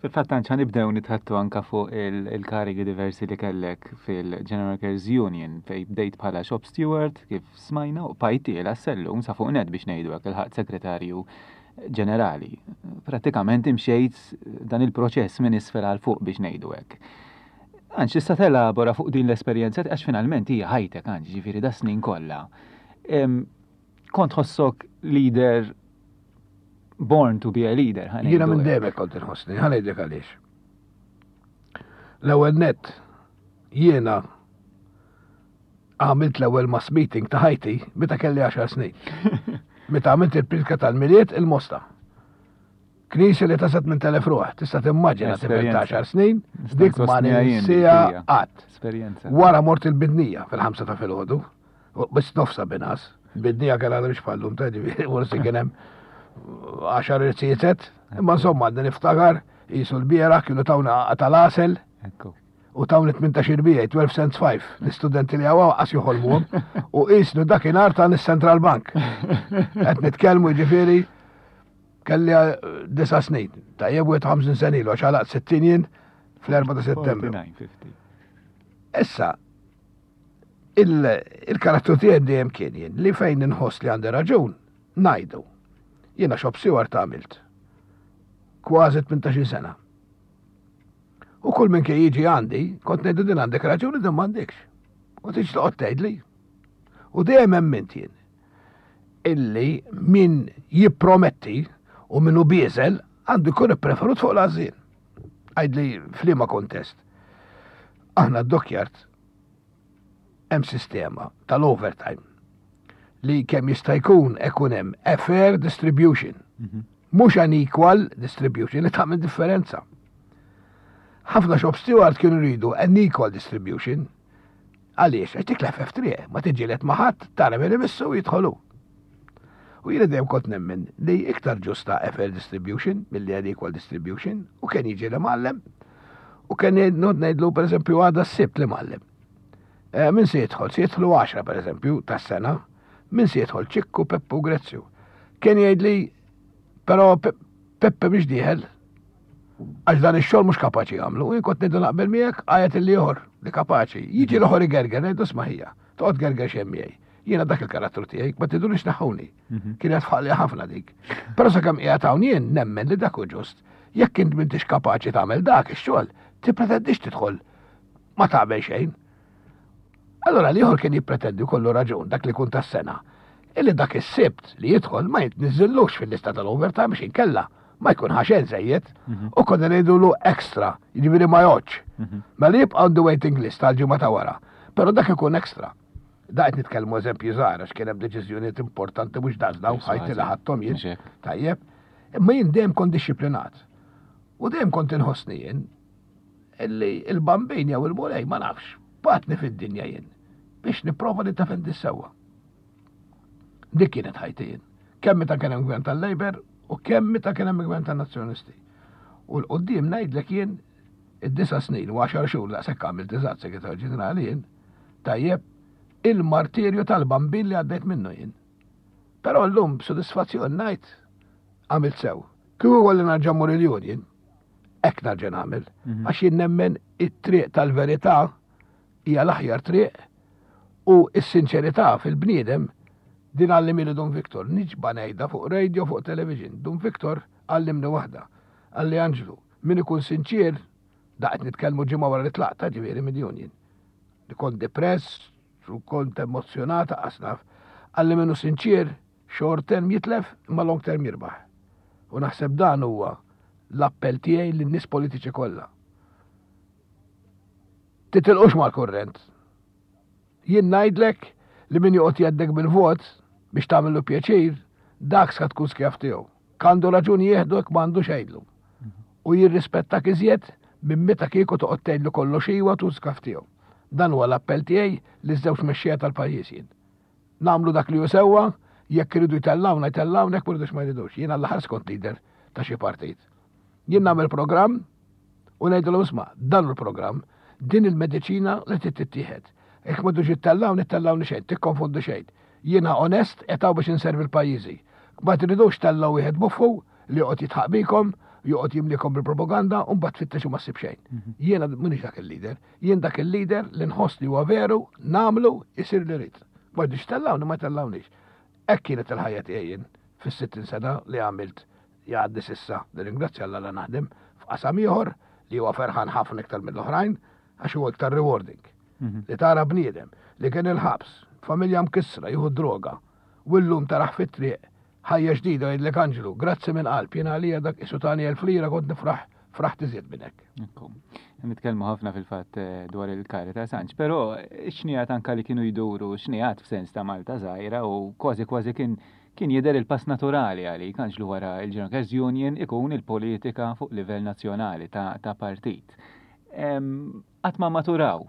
Fil-fatt anċa nibdew nitħattu anka fuq il-karigi diversi li kellek fil-General Workers Union fej bdejt bħala shop steward kif smajna u pajtiela sellum sa fuq net biex ngħidu hekk il-ħadd segretarju ġenerali. Pratikament imxejt dan il-proċess minn isfel għal fuq biex ngħidu hekk. Anċ tista' telabora fuq din l-esperjenza għax finalment hija ħajtek anċ ġifieri da snin kollha. Kont ħossok leader born to be a leader. Jiena minn dejjem kont inħossni, ħa ngħidlek għaliex. L-ewwel net jiena għamilt l-ewwel mass meeting ta' ħajti meta kelli 10 snin. Meta għamilt il-pritka tal-miliet il-Mosta. Knisja li tasat minn telef ruħ, tista' timmaġina tifel ta' 10 snin, dik ma ninsija qatt. Wara mort il-bidnija fil-ħamsa ta' filgħodu, biss nofsa binas, bidnija kellha biex bħallum ta' ġifieri forsi kien hemm għaxar irziezet, imma insomma għadni niftakar jisu l-biera kienu tawna tal-asel. U tawni 18 bija, 12 cents 5, l-istudenti li għawa għas joħolmuhom, u qisnu dakinhar ta' Central Bank. Qed nitkellmu ġifieri Kelli eh, disa snin, tajjeb 51 sena ilu, għax għalaqt 60 jien fl-4 ta' settembru. Issa, il-karattru tiegħi dejjem kien jien li fejn inħoss li għandi raġun, ngħidu. Jiena xob siwar ta' għamilt. Kważi 18 sena. U kull minn kien jiġi għandi, kont ngħidu din għandek raġuni din m'għandekx. U tiġi toqgħod tgħidli. U dejjem hemm jien. illi min jipprometti u min hu bieżel għandu jkun ippreferut fuq l-għażżien. Għidli f'liema kontest. Aħna d-dockyard hemm sistema tal-overtime li kemm jista' jkun ikun hemm a fair distribution. Mhm. Mhux an equal distribution li tagħmel differenza. Ħafna shop steward kienu jridu an equal distribution Għaliex? Għax dik l-FF triq, ma tiġġieled ma' ħadd, tara min imissu u jidħolu. U jiena dejjem kont nemmen li iktar ġusta FL distribution milli għal equal distribution u kien jiġi li mgħallem u kien ngħid ngħidlu pereżempju għada s-sibt li mgħallem. Eh, min se jidħol? Se jidħlu 10 pereżempju tas-sena. Min se jidħol? Ċikku, Peppu, Grezzju. Kien jgħidli però Peppe biex dieħel Għax dan ix-xogħol mhux kapaċi jagħmlu. Jien kont ngħidu naqbel miegħek għajat il-ieħor li kapaċi. Jiġi l-ieħor igerger ngħidu sma' ħija. Toqgħod gerger xejn miegħi. Jiena dak il-karattru tiegħi, ma tidulix naħuni. Mhm. Kienet fħalli ħafna dik. Però sakemm qiegħed hawn jien nemmen li dak hu ġust. Jekk int m'intix kapaċi tagħmel dak ix-xogħol, tippretendix tidħol ma tagħmel xejn. Allora l-ieħor kien jippretendi kollu raġun dak li kun tas-sena. Illi dak is-sibt li jidħol ma jitniżżillux fil-lista tal-overtime biex inkella ma jkun ħaxen żejjed mhm. u konna ngħidulu extra, jiġifieri ma joġġ. Mhm. Mela jibqa' on the waiting list tal-ġimgħa ta' wara. Però dak ikun extra. Da qed nitkellmu eżempju żgħar għax kien hemm deċiżjonijiet importanti mhux daqs dawn ħajti li ħadthom jien. Tajjeb. Imma jien dejjem kont dixxiplinat. U dejjem kont inħossni jien illi il-bambin jew il-mulej ma nafx, batni fid-dinja jien biex nipprova niddefendi s-sewwa. Dik kienet ħajti jien. Kemm meta kien hemm gvern tal-Labour u kemm meta kien hemm gvern tan-Nazzjonisti. U l-qudiem ngħidlek jien id-disa snin u għaxar xhur daqshekk għamilt eżatt segretarju ġenerali jien, tajjeb, il-martirju tal-bambin li għaddejt minnu jien. Però llum b'sodisfazzjon ngħid għamilt sew. Kieku kolli narġa' mmur il-union, hekk narġa' nagħmel. Mhm. Għax jien nemmen it-triq tal-verità hija l-aħjar triq u s-sinċerità fil-bniedem din għallimili Dun Victor. Niġba ngħidha fuq radio, fuq television. Dun Victor għallimni waħda. Għalli Anġlu, min ikun sinċir, da qed nitkellmu ġimgħa wara li tlaqta ġifieri mid-union. Li kont depress, u kont emozjonata qasnaf. Għalli minnu sinċir, short term jitlef, imma long term jirbaħ. U naħseb dan huwa l-appell tiegħi lin-nies politiċi kollha. Titilqux mal-kurrent. Jien ngħidlek li min joqgħod jgħeddek bil-vot biex tagħmillu pjaċir, dak sa tkun skjav tiegħu. Kandu raġun jieħdu jekk m'għandux għidlu. U jirrispettak iżjed minn meta kieku toqgħod tgħidlu kollox iwa tkun skjav tiegħu. Dan huwa l-appell tiegħi liż-żewġ mexxejja tal-pajjiż jien. Nagħmlu dak li hu sewwa, jekk iridu jtellgħuna jtellgħuna, jekk ma jridux ma jridux. Jien għall-aħħar skont leader ta' xi partit. Jien nagħmel programm u ngħidilhom isma' dan hu l-programm, din il-mediċina li trid tittieħed. Jekk ma tridux ittellgħuni, ittellgħuni xejn, tikkonfondu xejn. Jiena onest qed hawn biex inservi l-pajjiżi. Ma tridux tellgħu wieħed buffu. li joqgħod jitħaq bikom, joqgħod jimlikom bil-propaganda u mbagħad tfittex u ma ssib xejn. Mhm. Jiena m'iniex dak il-leader, jien dak il-leader li nħoss li huwa veru, nagħmlu isir li rrid. Ma rridux tellawni ma tellawniex. Hekk kienet il-ħajja tiegħi jien fis-60 sena li għamilt jgħaddi s'issa. Nirringrazzja Alla la naħdem f'qasam ieħor li huwa ferħan ħafna iktar mill-oħrajn għax huwa iktar rewarding. Mhm. Li tara bniedem li kien il-ħabs, familja mkissra, jieħu droga, u llum taraħ fit-triq ħajja ġdida jgħidlek Anġlu, grazzi minn qalb, jiena għalija dak isu tani elf lira kont nifraħ fraħt iżjed minn hekk. Nitkellmu ħafna fil-fatt eh, dwar il-Caritas Anġ, però xnijat anka li kienu jduru xnijat f'sens ta' Malta żgħira u kważi kważi kien kien jidher il-pass naturali għalik Anġlu wara il-General Workers Union ikun il-politika fuq livell nazzjonali ta', ta partit. Qatt ma maturaw.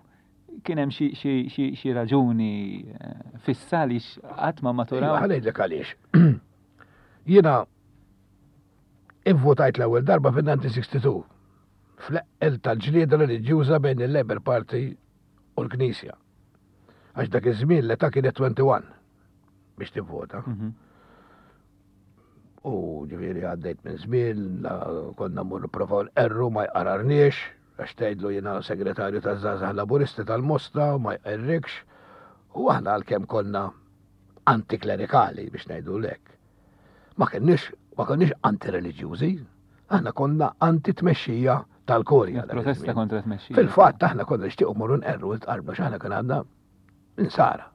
Kien hemm xi raġuni eh, fissa li qatt ma maturaw. Iva, ngħidlek għaliex. Jiena ivvotajt l-ewwel darba fin-1962 fl-eqqel tal-ġlieda reliġjuża bejn il-Labour Party u l-Knisja. Għax dak iż-żmien l-età kienet 21 biex tivvota. Mhm. U ġifieri għaddejt minn żmien, konna mmur nipprovaw l-erru ma jqararniex, għax tgħidlu jiena segretarju taż-żgħażagħ Laburisti tal-Mosta u ma jqerrikx. U aħna għalkemm konna antiklerikali biex ngħidu lek. Ma kenniex ma konniex antireliġjużi, aħna konna anti-tmexxija tal-Kurja. Protesta kontra tmexxija. Fil-fatt aħna konna nixtiequ morru nqerru l-tqarbna x'aħna kien għandna insara.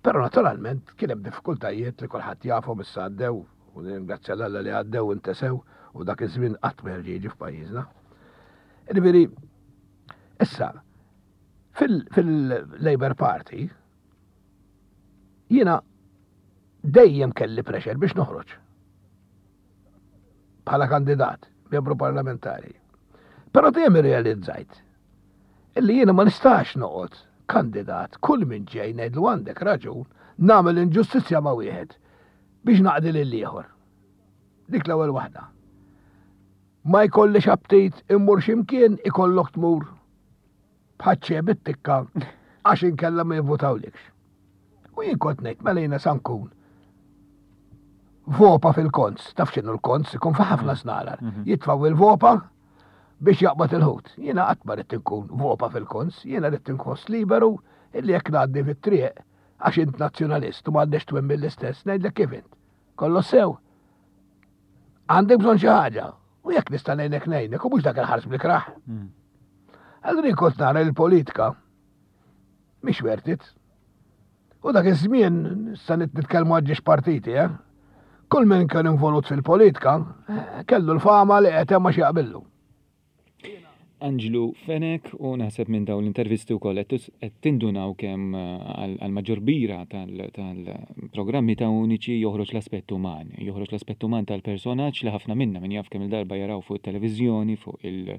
Però naturalment kien hemm diffikultajiet li kulħadd jafhom issa għaddew u nirringrazzja l Alla li għaddew intesew u dak iż-żmien qatt ma jerġa' jiġi f'pajjiżna. Ġifieri, issa, fil-Labour Party jiena dejjem kelli pressure biex noħroġ bħala kandidat, membru parlamentari. Però dejjem irrealizzajt illi jiena ma nistax noqgħod kandidat kull min ġej ngħidlu għandek raġun nagħmel inġustizzja ma' wieħed biex naqdi lil ieħor. Dik l-ewwel waħda. Ma jkollix aptit immur x'imkien ikollok tmur bħaċ bit-tikka għax inkella ma jivvutawlikx. U jien kont ngħid mela jiena sa nkun vopa fil-konz, taf x'inhu l-konz, ikun fi ħafna snarar. Mhm. Jitfaw il-vopa biex jaqbad il-ħut. Jiena qatt ma rrid inkun vopa fil-konz, jiena rrid inħoss liberu illi jekk ngħaddi fit-triq għax int nazzjonalist u m'għandekx twemmin l-istess, ngħidlek kif int. Kollox sew. Għandek bżonn xi ħaġa, u jekk nista' ngħinek ngħinek u mhux dak il-ħars bl-ikrah. Hmm. Allura jien kont nara l-politika mhix worth it. U dak iż-żmien sa nitkellmu għal ġiex partiti, eh? Kull min kien involut fil-politika eh, kellu l-fama li qed hemm għax jaqbillu. Anġlu Fenech u naħseb minn dawn l-intervisti wkoll qed tindunaw kemm eh, għall-maġġor kbira tal-programmi ta' Uniċi joħroġ l-aspett uman, joħroġ l-aspett uman tal-personaġġ li ħafna minna min jaf kemm il-darba jaraw fuq it-televiżjoni, fuq il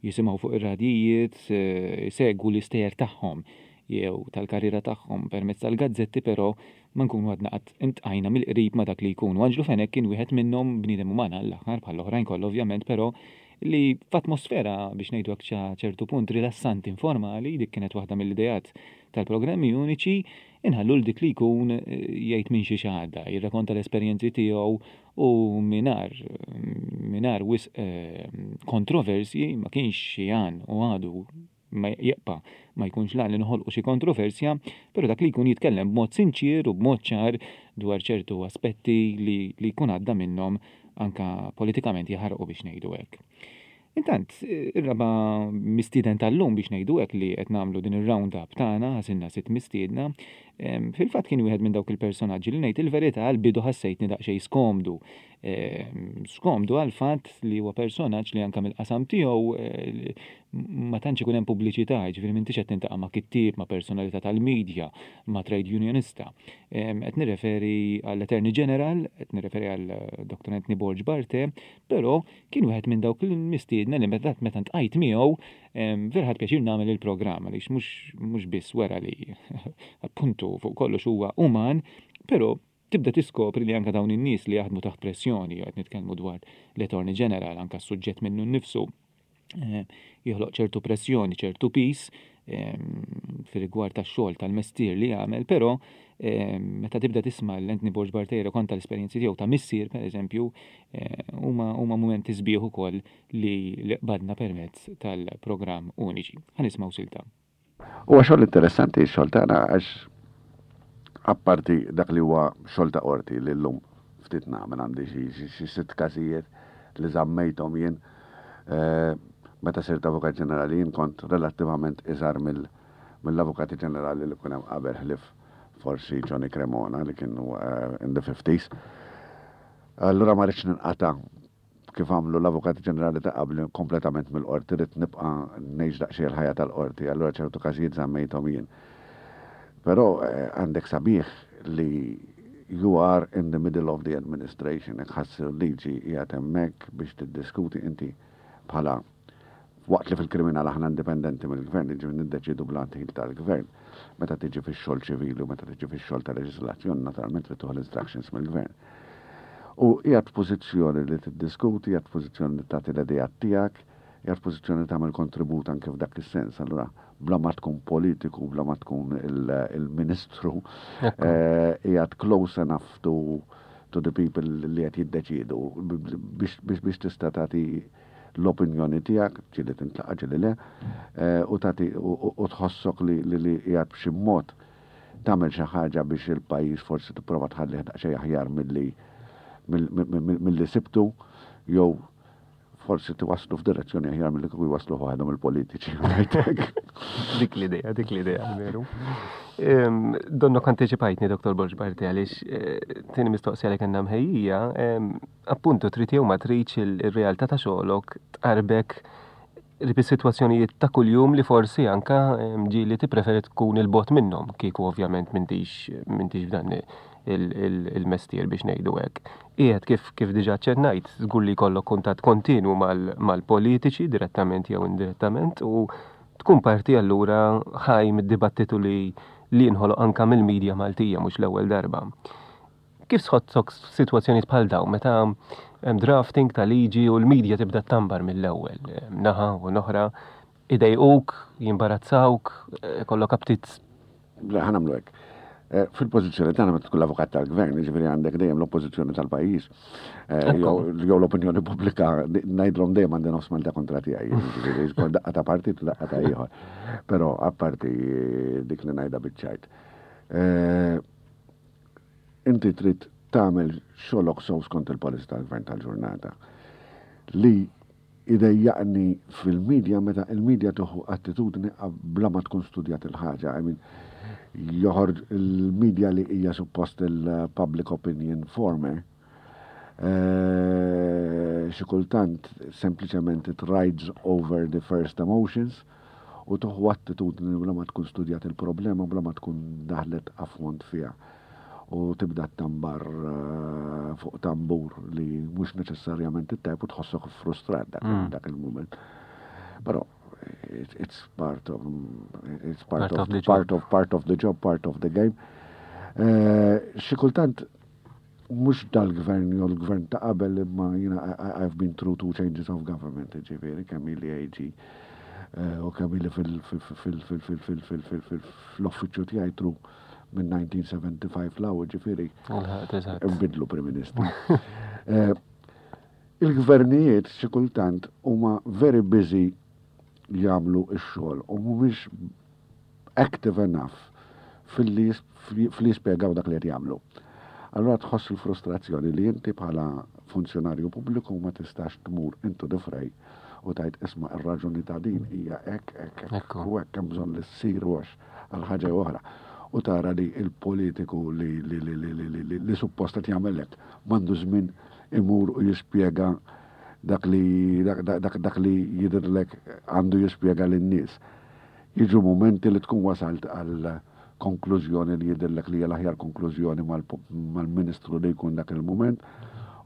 jisimgħu fuq ir-radjijiet, eh, isegwu l-istejjer tagħhom jew tal-karriera tagħhom permezz tal-gazzetti però ma nkunu għadna qatt intqajna mill-qrib ma' dak li jkun. U Anġlu Fenech kien wieħed minnhom, bniedem uman għall-aħħar bħall-oħrajn kollha ovvjament, però li f'atmosfera biex ngħidu hekk sa ċertu punt rilassanti informali, dik kienet waħda mill-ideat tal-programmi uniċi, inħallu 'l dik li jkun jgħid minn xiex għadda, jirrakonta l-esperjenzi tiegħu u mingħajr mingħajr wisq kontroversji, ma kienx xi għan u għadu ma jibqa' ma jkunx l-għan li noħolqu xi kontroversja, però dak li jkun jitkellem b'mod sinċier u b'mod ċar dwar ċertu aspetti li li jkun għadda minnhom anke politikament jaħarqu biex ngħidu hekk. Intant, ir-raba' mistieden tal-lum biex ngħidu hekk li qed nagħmlu din ir-round up tagħna, għażilna sitt mistiedna, fil-fatt kien wieħed minn dawk il-personaġġi li ngħid il-verità għall-bidu ħassejtni daqsxejn skomdu Skomdu għall-fatt li huwa personaġġ li anke mill-qasam tiegħu ma tantx ikun hemm pubbliċità, jiġifieri m'intix qed tintaqa' ma' kittieb, ma' personalità tal-media, ma' trade unionista. Qed nirreferi għall-Attorney General, qed nirreferi għal Dr. Anthony Borg Barthe, però kien wieħed minn dawk il-mistiedna li meta meta ntqajt miegħu vera ħadt pjaċir nagħmel il-programm għaliex mhux mhux biss wera li appuntu fuq kollox huwa uman, però tibda tiskopri li anke dawn in-nies li jaħdmu taħt pressjoni, qed nitkellmu dwar l-Attorney General, anke s-suġġett minnu nnifsu, eh, joħloq ċertu pressjoni, ċertu pis, fir-rigward tax-xogħol tal-mestier li jagħmel, però meta tibda tisma' l Anthony Borg Bartera konta l-esperjenzi tiegħu ta' missier pereżempju, huma huma mumenti sbieħ ukoll li li qbadna permezz tal-programm Uniċi. Ħa nismgħu silta. Huwa xogħol interessanti x-xogħol tagħna għax apparti dak li huwa xogħol ta' qorti li llum ftit nagħmel għandi xi sitt każijiet li żammejthom jien meta sirt Avukat Ġenerali jien kont relattivament iżgħar mill-Avukati Ġenerali li kien hemm qabel ħlief forsi Johnny Cremona li kien in the fifties. Allura ma ridtx ninqata' kif għamlu l-Avukati Ġenerali ta' qabli kompletament mill-Qorti, ridt nibqa' ngħix daqsxejn il-ħajja tal-Qorti, allura ċertu każijiet żammejthom jien. Però għandek sabiħ li you are in the middle of the administration, jekk ħa ssir liġi qiegħed hemmhekk biex tiddiskuti inti bħala Waqt li fil-kriminal aħna indipendenti mill-gvern, jiġifieri niddeċiedu bla ndħil tal-gvern, meta tiġi fix-xogħol ċivili u meta tiġi fix-xogħol ta' leġiżlazzjoni naturalment trid tieħu l-instructions mill-gvern. U qiegħed f'pożizzjoni li tiddiskuti, qiegħed f'pożizzjoni li tagħti l-ideat tiegħek, qiegħed f'pożizzjoni li tagħmel kontribut anke f'dak is-sens. Allura bla ma tkun politiku, bla ma tkun il-ministru, qiegħed close enough to to the people li qed jiddeċiedu biex tista' tagħti l-opinjoni tiegħek, ġieli tintlaqa' ġieli le, u tagħti u tħossok li li qiegħed b'xi mod tagħmel xi ħaġa biex il-pajjiż forsi tipprova tħallih daqsxejn aħjar milli milli sibtu jew forsi tiwasslu f'direzzjoni aħjar milli kieku jwassluh waħedhom il-politiċi. Dik l-idea, dik l-idea, veru. Donnok anteċipajtni, Dr. Borg Barti, għaliex eh, tieni mistoqsija li kellna mħejjija, Appuntu trid jew ma tridx ir-realtà ta' xogħlok tqarrbek qrib is-sitwazzjonijiet ta' kuljum li forsi anka ġieli tippreferi tkun 'il bogħod minnhom kieku ovvjament m'intix m'intix f'dan il-mestier biex ngħidu hekk. Qiegħed kif kif diġà aċċennajt żgur li jkollok kuntatt kontinwu mal-politiċi direttament jew indirettament u tkun parti allura ħaj mid-dibattitu li li jinħoloq anka mill-media Maltija mhux l-ewwel darba. Kif tħossok f'sitwazzjonijiet bħal dawn meta hemm drafting ta' liġi u l-media tibda ttambar mill-ewwel, naħa u l-oħra, idejquk, jimbarazzawk, ikollok aptit? Le, ħa nagħmlu hekk. Eh, fil-pożizzjoni tagħna meta tkun l-avukat tal-gvern, jiġifieri għandek dejjem l-oppożizzjoni tal-pajjiż eh, jew l-opinjoni pubblika ngħidlhom dejjem għandi nofs Malta kontra tiegħi, jiġifieri skont daqqa ta' partit u daqqa ta' ieħor. Però apparti dik li ngħidha biċ-ċajt. Eh, Inti trid tagħmel xogħlok sew skont il-policy tal-gvern tal-ġurnata. Li idejjaqni fil-media meta il-media tieħu attitudni bla ma tkun studjat il-ħaġa. I mean, joħorġ il-media li hija suppost il-public opinion former, eh, xi kultant sempliċement it rides over the first emotions u toħu attitudni bla ma tkun studjat il-problema, bla ma tkun daħlet afont fiha. U tibda tambar eh, fuq tambur li mhux neċessarjament it-tajb u tħossok frustrat dak, mm. dak il-moment. Però it's part of it's part, part of, of the part of part of the job, part of the game. Eh, xi kultant mhux dal-gvern jew l-gvern ta' qabel imma jiena I've been through two changes of government, ġifieri kemm ili AG eh, u kemm ili fil-uffiċċju tiegħi through minn 1975 law, ġifieri nbidlu Prim Ministru. Eh, il-gvernijiet xi kultant huma very busy jagħmlu x-xogħol u mhumiex active enough filli jispjegaw dak li qed jagħmlu. Allura tħoss il-frustrazzjoni li inti bħala funzjonarju pubbliku ma tistax tmur into the fray u tgħid isma' ir-raġuni ta' din hija hekk, hekk, hekk u hekk hemm bżonn li ssir u għax għal ħaġa oħra. U tara li l-politiku li li li li li li li suppost qed jagħmel hekk m'għandu żmien imur u jispjega dak li dak dak li jidhirlek għandu jispjega lin-nies. Jiġu mumenti li tkun wasalt għal konklużjoni li jidhirlek li hija l-aħjar konklużjoni mal-Ministru li jkun dak il-mument,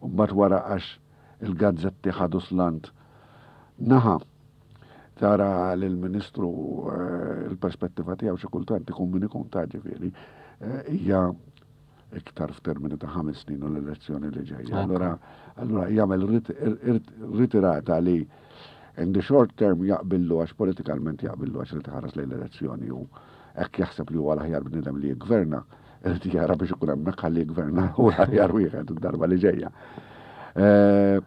u mbagħad wara għax il-gazzetti ħadu slant naħa tara li l-Ministru eh, il-perspettiva tiegħu xi kultant ikun min ikun ta' ġifieri eh, hija iktar f'termini ta' ħames snin u l-elezzjoni li ġejja. Allura, allura jagħmel ritirata li. In the short term jaqbillu għax politikalment jaqbillu għax irid iħares lejn l-elezzjoni u hekk jaħseb li huwa l-aħjar bniedem li jiggverna, irid jara biex ikun hemmhekk ħalli jiggverna u l-aħjar wieħed id-darba li ġejja. Eh,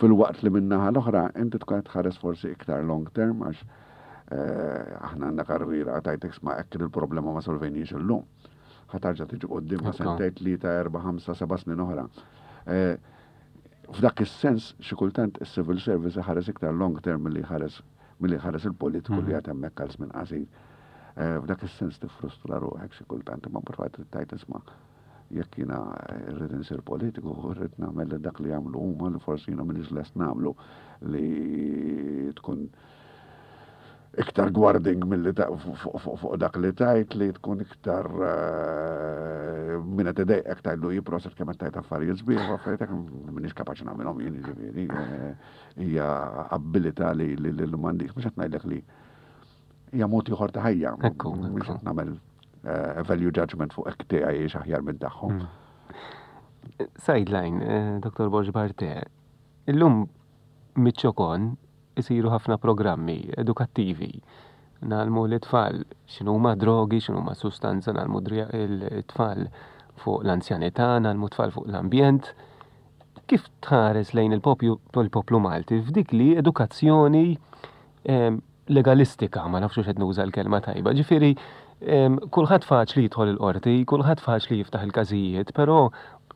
filwaqt li min-naħa l-oħra inti tkun qed tħares forsi iktar long term għax eh, aħna għandna karriera tajtek sma hekk il-problema ma solvejniex illum. Ħa tarġa' tiġi quddiem sentejn, tlieta, erba', ħamsa, seba' snin oħra. Eh, f'dak is-sens xi kultant is-civil service iħares iktar long term milli jħares milli jħares il-politiku li mhm. qed hemmhekk għal żmien qasir. Eh, f'dak is-sens tiffrustra ruħek xi kultant imma mbagħad trid tgħid isma' jekk jiena rrid insir politiku, rrid nagħmel dak li jagħmlu huma li forsi jiena m'iniex lest nagħmlu li tkun iktar guarding milli fuq dak li tajt li tkun iktar eh, minn qed idejqek tgħidlu jiproset kemm qed tgħid affarijiet sbieħ u affarijiet hekk m'iniex kapaċi nagħmilhom jien jiġifieri eh, hija abilità li li m'għandix mhux qed ngħidlek li hija mod ieħor ta' ħajja. Mhux qed nagħmel eh, value judgment fuq hekk tiegħi aħjar minn tagħhom. Hmm. Sideline, Dr. Borġ Barte, illum miċ-ċokon isiru ħafna programmi edukattivi. Ngħallmu lit-tfal x'inhuma drogi, x'inhuma sustanza, ngħallmu t-tfal fuq l-anzjanità, ngħallmu t-tfal fuq l-ambjent. Kif tħares lejn il-poplu Malti f'dik li edukazzjoni ehm, legalistika, ma nafx qed nuża l-kelma tajba. Ġifieri kulħadd faċli jidħol il-qorti, kulħadd faċli jiftaħ il-każijiet, però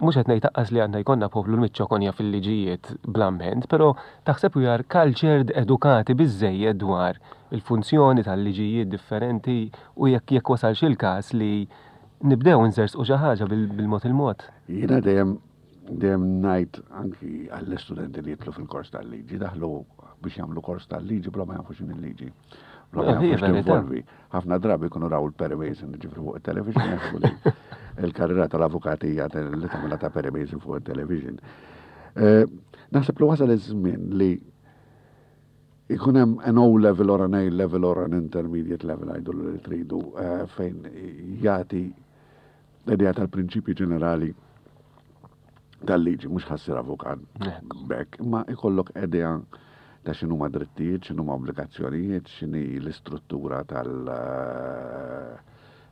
mhux qed ngħid aqqas li għandna jkollna poplu l-miċċokonja fil-liġijiet bl-amment, però taħseb we are cultured edukati biżżejjed dwar il-funzjoni tal-liġijiet differenti u jekk jekk wasalx il-każ li nibdew nżersqu xi ħaġa bil-mod il-mod. Jiena dejjem Dejjem ngħid anki għall-istudenti li jidħlu fil-kors tal-liġi, daħlu biex jagħmlu kors tal-liġi bla ma jafu x'inhi l-liġi. Bla ma jafu x'tinvolvi. Ħafna drabi jkunu raw il-Perry Mason ġifri fuq it-television jaħsbu li il-karriera tal-avukati hija li tagħmilha ta' Perry Mason fuq it-television. Eh, naħseb li wasal iż-żmien li ikun hemm an O level or an A level or an intermediate level għajdu li tridu eh, fejn jagħti L-idea tal-prinċipji ġenerali tal-liġi, mhux ħassir avukat bekk, imma ikollok idea ta' x'inhuma drittijiet, x'inhuma obbligazzjonijiet, x'inhi l-istruttura tal-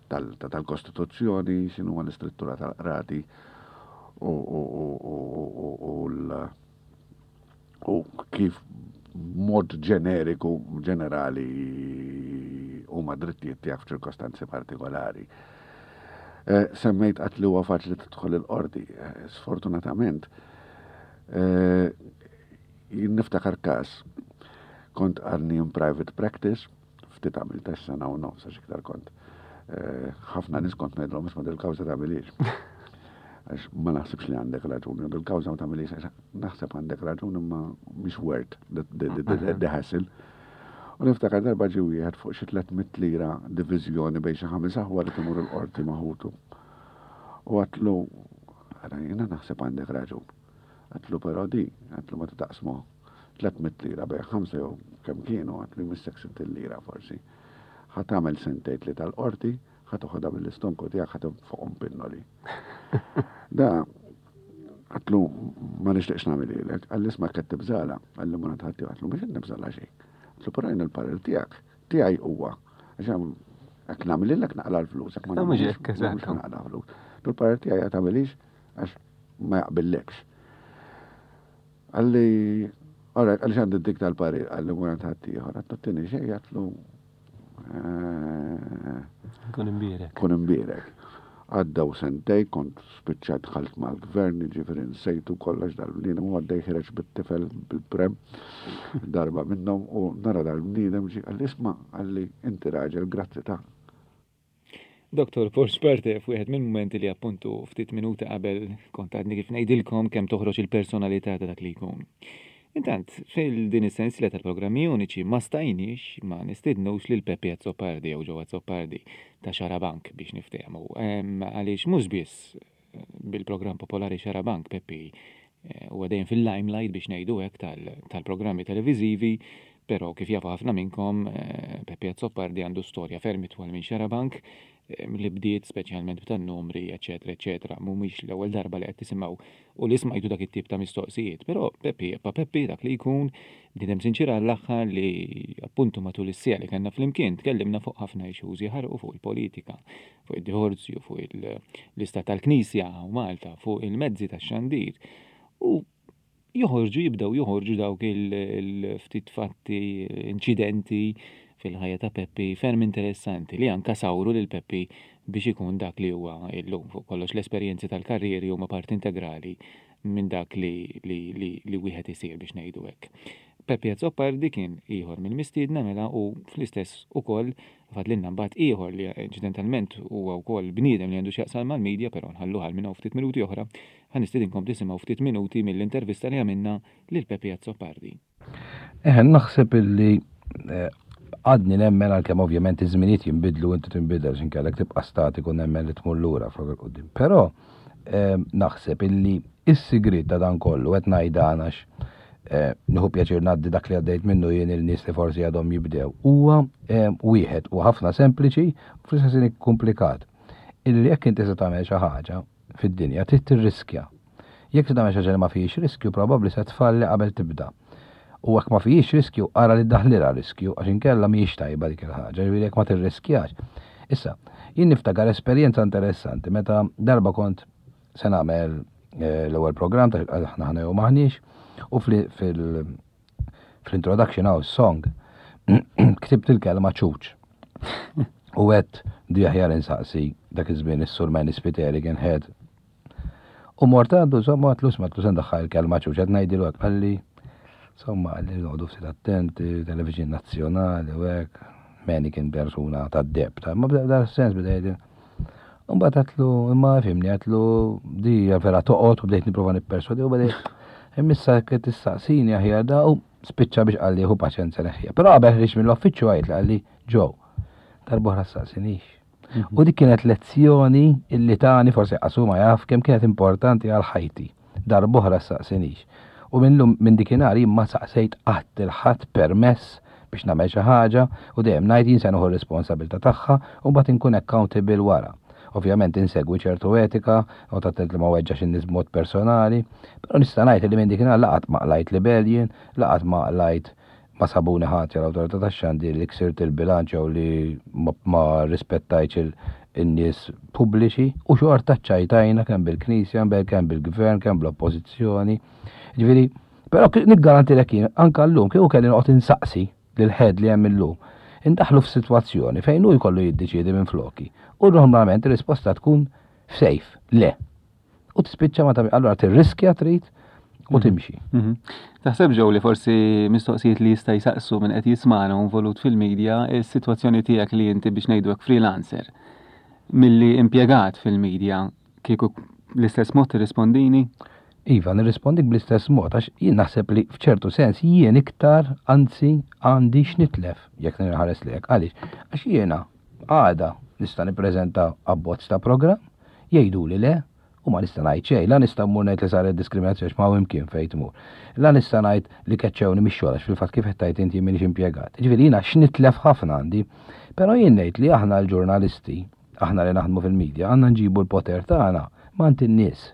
tal-Kostituzzjoni, x'inhuma l-istruttura tal-qrati u l- u kif mod ġeneriku, ġenerali huma drittijiet tiegħek f'ċirkostanzi partikolari. Eh, semmejt qatt li huwa faċli tidħol il-qorti. Eh, sfortunatament, eh, jien niftakar każ kont għadni in private practice, ftit għamilt sena u nofs għax iktar kont. Eh, ħafna nies kont ngħidlhom isma' dil-kawża tagħmilix. Għax ma naħsibx li għandek raġuni, dil-kawża ma tagħmilix għax naħseb għandek raġuni ma mhix worth the hassle. U niftakar darba ġie wieħed fuq xi 300 lira diviżjoni bejn xi ħames aħwa li timur il-qorti ma' ħutu. U għatlu, ara jiena naħseb għandek raġun. Għatlu però di, għatlu ma taqsmu 300 lira bejn ħamsa jew kemm kienu, għatlu jmissek 60 lira forsi. Ħa tagħmel sentejn tlieta l-qorti, ħa toħodha mill-istonku tiegħek ħa tinfoqhom pinnoli. Da, għatlu ma nixtieqx nagħmililek, qalli isma' qed tibżala, qalli ma nagħti għatlu mhux qed nibżala xejn. Għatlu però jien il-parir tiegħek, tiegħi huwa għax hekk nagħmililek naqla' l-flus, hekk ma nagħmilx naqla' flus. Il-parir tiegħi qed tagħmilix għax ma jaqbillekx. Qalli, alright, qalli x'għandi dik tal-parir, qalli mur għand ħaddieħor, għatlu tini xejn, għatlu eh, Kun imbierek. Kun imbierek. Għaddew sentej, kont spiċċajt dħalt mal-gvern, jiġifieri nsejtu kollox dal-bniedem u għaddej ħireġ bit-tifel bil-prem darba minnhom u nara dal-bniedem ġie qalli isma' qalli inti raġel grazzi ta' Dottor Paul Sperte f'wieħed mill-mumenti li appuntu ftit minuti qabel kont għadni kif ngħidilkom kemm toħroġ il-personalità ta' dak li jkun. Intant, fil-din is-sensiela tal-programmi uniċi ma stajniex ma nistidnux lil Peppi Azzopardi jew Joe Azzopardi ta' Xarabank biex niftehmu. Għaliex mhux biss bil-programm popolari Xarabank Peppi eh, huwa dejjem fil-limelight biex ngħidu hekk tal-programmi televiżivi, Però kif jafu ħafna minnkom, Peppi Azzopardi għandu storja ferm itwal minn Xarabank li bdiet speċjalment b'tan-numri, eċċetera, eċċetera. Mhumiex l-ewwel darba li qed tisimgħu u li smajtu dak it-tip ta' mistoqsijiet. Però Peppi jibqa' Peppi dak li jkun, bniedem sinċier għall-aħħar li appuntu matul is-siegħa li kellna flimkien tkellimna fuq ħafna issues jaħarqu fuq il-politika, fuq id-divorzju, fuq l-istat tal-Knisja u Malta, fuq il-mezzi tax-xandir. U joħorġu jibdew joħorġu dawk il-ftit fatti, inċidenti fil-ħajja ta' Peppi ferm interessanti li anka sawru lil Peppi biex ikun dak li huwa illum. Fuq kollox l-esperjenzi tal-karrieri huma parti integrali minn dak li, li, li, li wieħed isir biex ngħidu hekk. Peppi Azzopardi kien ieħor mill-mistiedna mela u fl-istess ukoll fadlilna mbagħad ieħor li inċidentalment huwa wkoll bniedem li għandu x'jaqsam mal-media però nħalluh għal minn hawn ftit minuti oħra Ħa nistedinkom tisimgħu ftit minuti mill-intervista li għamilna lil Peppi Azzopardi. Eħe, naħseb illi eh, għadni nemmen għalkemm ovvjament iż-żminijiet jinbidlu inti tinbidel x'inkellek tibqa' statiku nemmen li tmur lura flok il-qudiem. Però eh, naħseb illi is-sigriet ta' dan kollu qed ngħid dan għax eh, nieħu pjaċir ngħaddi dak li għaddejt minnu jien il-nies li forsi għadhom jibdew huwa wieħed u ħafna sempliċi u fl-istess komplikat. Illi jekk inti se tagħmel xi ħaġa fid-dinja trid tirriskja. Jekk se tagħmel xi ħaġa li ma fihiex riskju probabbli se tfalli qabel tibda. U jekk ma fihiex riskju ara li ddaħħlilha riskju għax inkella mhijiex tajba dik il-ħaġa, jiġifieri jekk ma tirriskjax. Issa, jien niftakar esperjenza interessanti meta darba kont se nagħmel eh, l-ewwel programm ta' aħna ħana jew maħniex u fil fl-introduction hawn song ktibt il-kelma ċuċ. U għedt di aħjar insaqsi dak iż-żmien is-Sur Manny Spiteri kien head. U mort għandu insomma għatlu isma' għatlu se ndaħħal il-kelma ċuċ qed ngħidilu hekk qalli insomma qalli noqogħdu ftit attenti, television nazzjonali u hekk. Manny kien persuna tad-deb, ta' ma bda sens beda jgħidil. Mbagħad għatlu, imma fimni, għatlu di vera toqgħod u bdejt nipprova nipperswadi u bdejt imissa jekk tistaqsini aħjar da u spiċċa biex qalli hu paċenza neħħija. Però qabel ħriġt mill-uffiċċju għajt li qalli ġew darb'oħra staqsinix. Mhm. U dik kienet lezzjoni illi tani forsi qasu ma jaf kemm kienet importanti għal ħajti. Darb'oħra ssaqsinix. U minn lum minn dikinhar jien ma saqsejt qatt lil ħadd permess biex nagħmel xi ħaġa u dejjem ngħid jien se nieħu r-responsabilità tagħha u mbagħad inkun accountable wara. Ovvjament insegwi ċertu etika, noqgħod attent li ma weġġax in-nies b'mod personali, però nista' ngħid li minn dikinhar la qatt ma qlajt libell jien, la qatt ma qlajt ma sabuni ħatja l-Awtorità tax-Xandir li ksirt il-bilanċ jew li ma rrispettajtx in-nies pubbliċi u xorta ċċajtajna kemm bil-Knisja, kemm bil-Gvern, kemm bl-Oppożizzjoni. Ġifieri, però niggarantilek jien anke llum kieku kelli noqgħod insaqsi lill-head li hemm illum, indaħħlu f'sitwazzjoni fejn hu jkollu jiddeċiedi minfloki u normalment ir-risposta tkun f'sejf, le. U tispiċċa ma tagħmel, allura tirriskja trid u mhm. timxi. Mhm. Taħseb ġew li forsi mistoqsijiet li jista' jsaqsu minn qed jismana u involut fil-media, is-sitwazzjoni tiegħek li inti biex ngħidu hekk freelancer milli impjegat fil-media kieku l-istess mod tirrispondini? Iva, nirrispondik bl-istess mod, għax jien naħseb li f'ċertu sens jien iktar, anzi, għandi x'nitlef, jekk nirħares lek. Għaliex? Għax jiena għada nista' nippreżenta abbozz ta' programm, jgħiduli le, u ma nista' ngħid xejn. La nista' mmur ngħid li saret diskriminazzjoni għax ma hawn imkien fejn tmur. La nista' ngħid li keċċewni mix-xogħol għax fil-fatt kif qed tgħid inti jien m'iniex impjegat. Jiġifieri jiena x'nitlef ħafna għandi. Però jien ngħid li aħna l-ġurnalisti, aħna li naħdmu fil-media, għandna nġibu l-poter tagħna m'għand in-nies.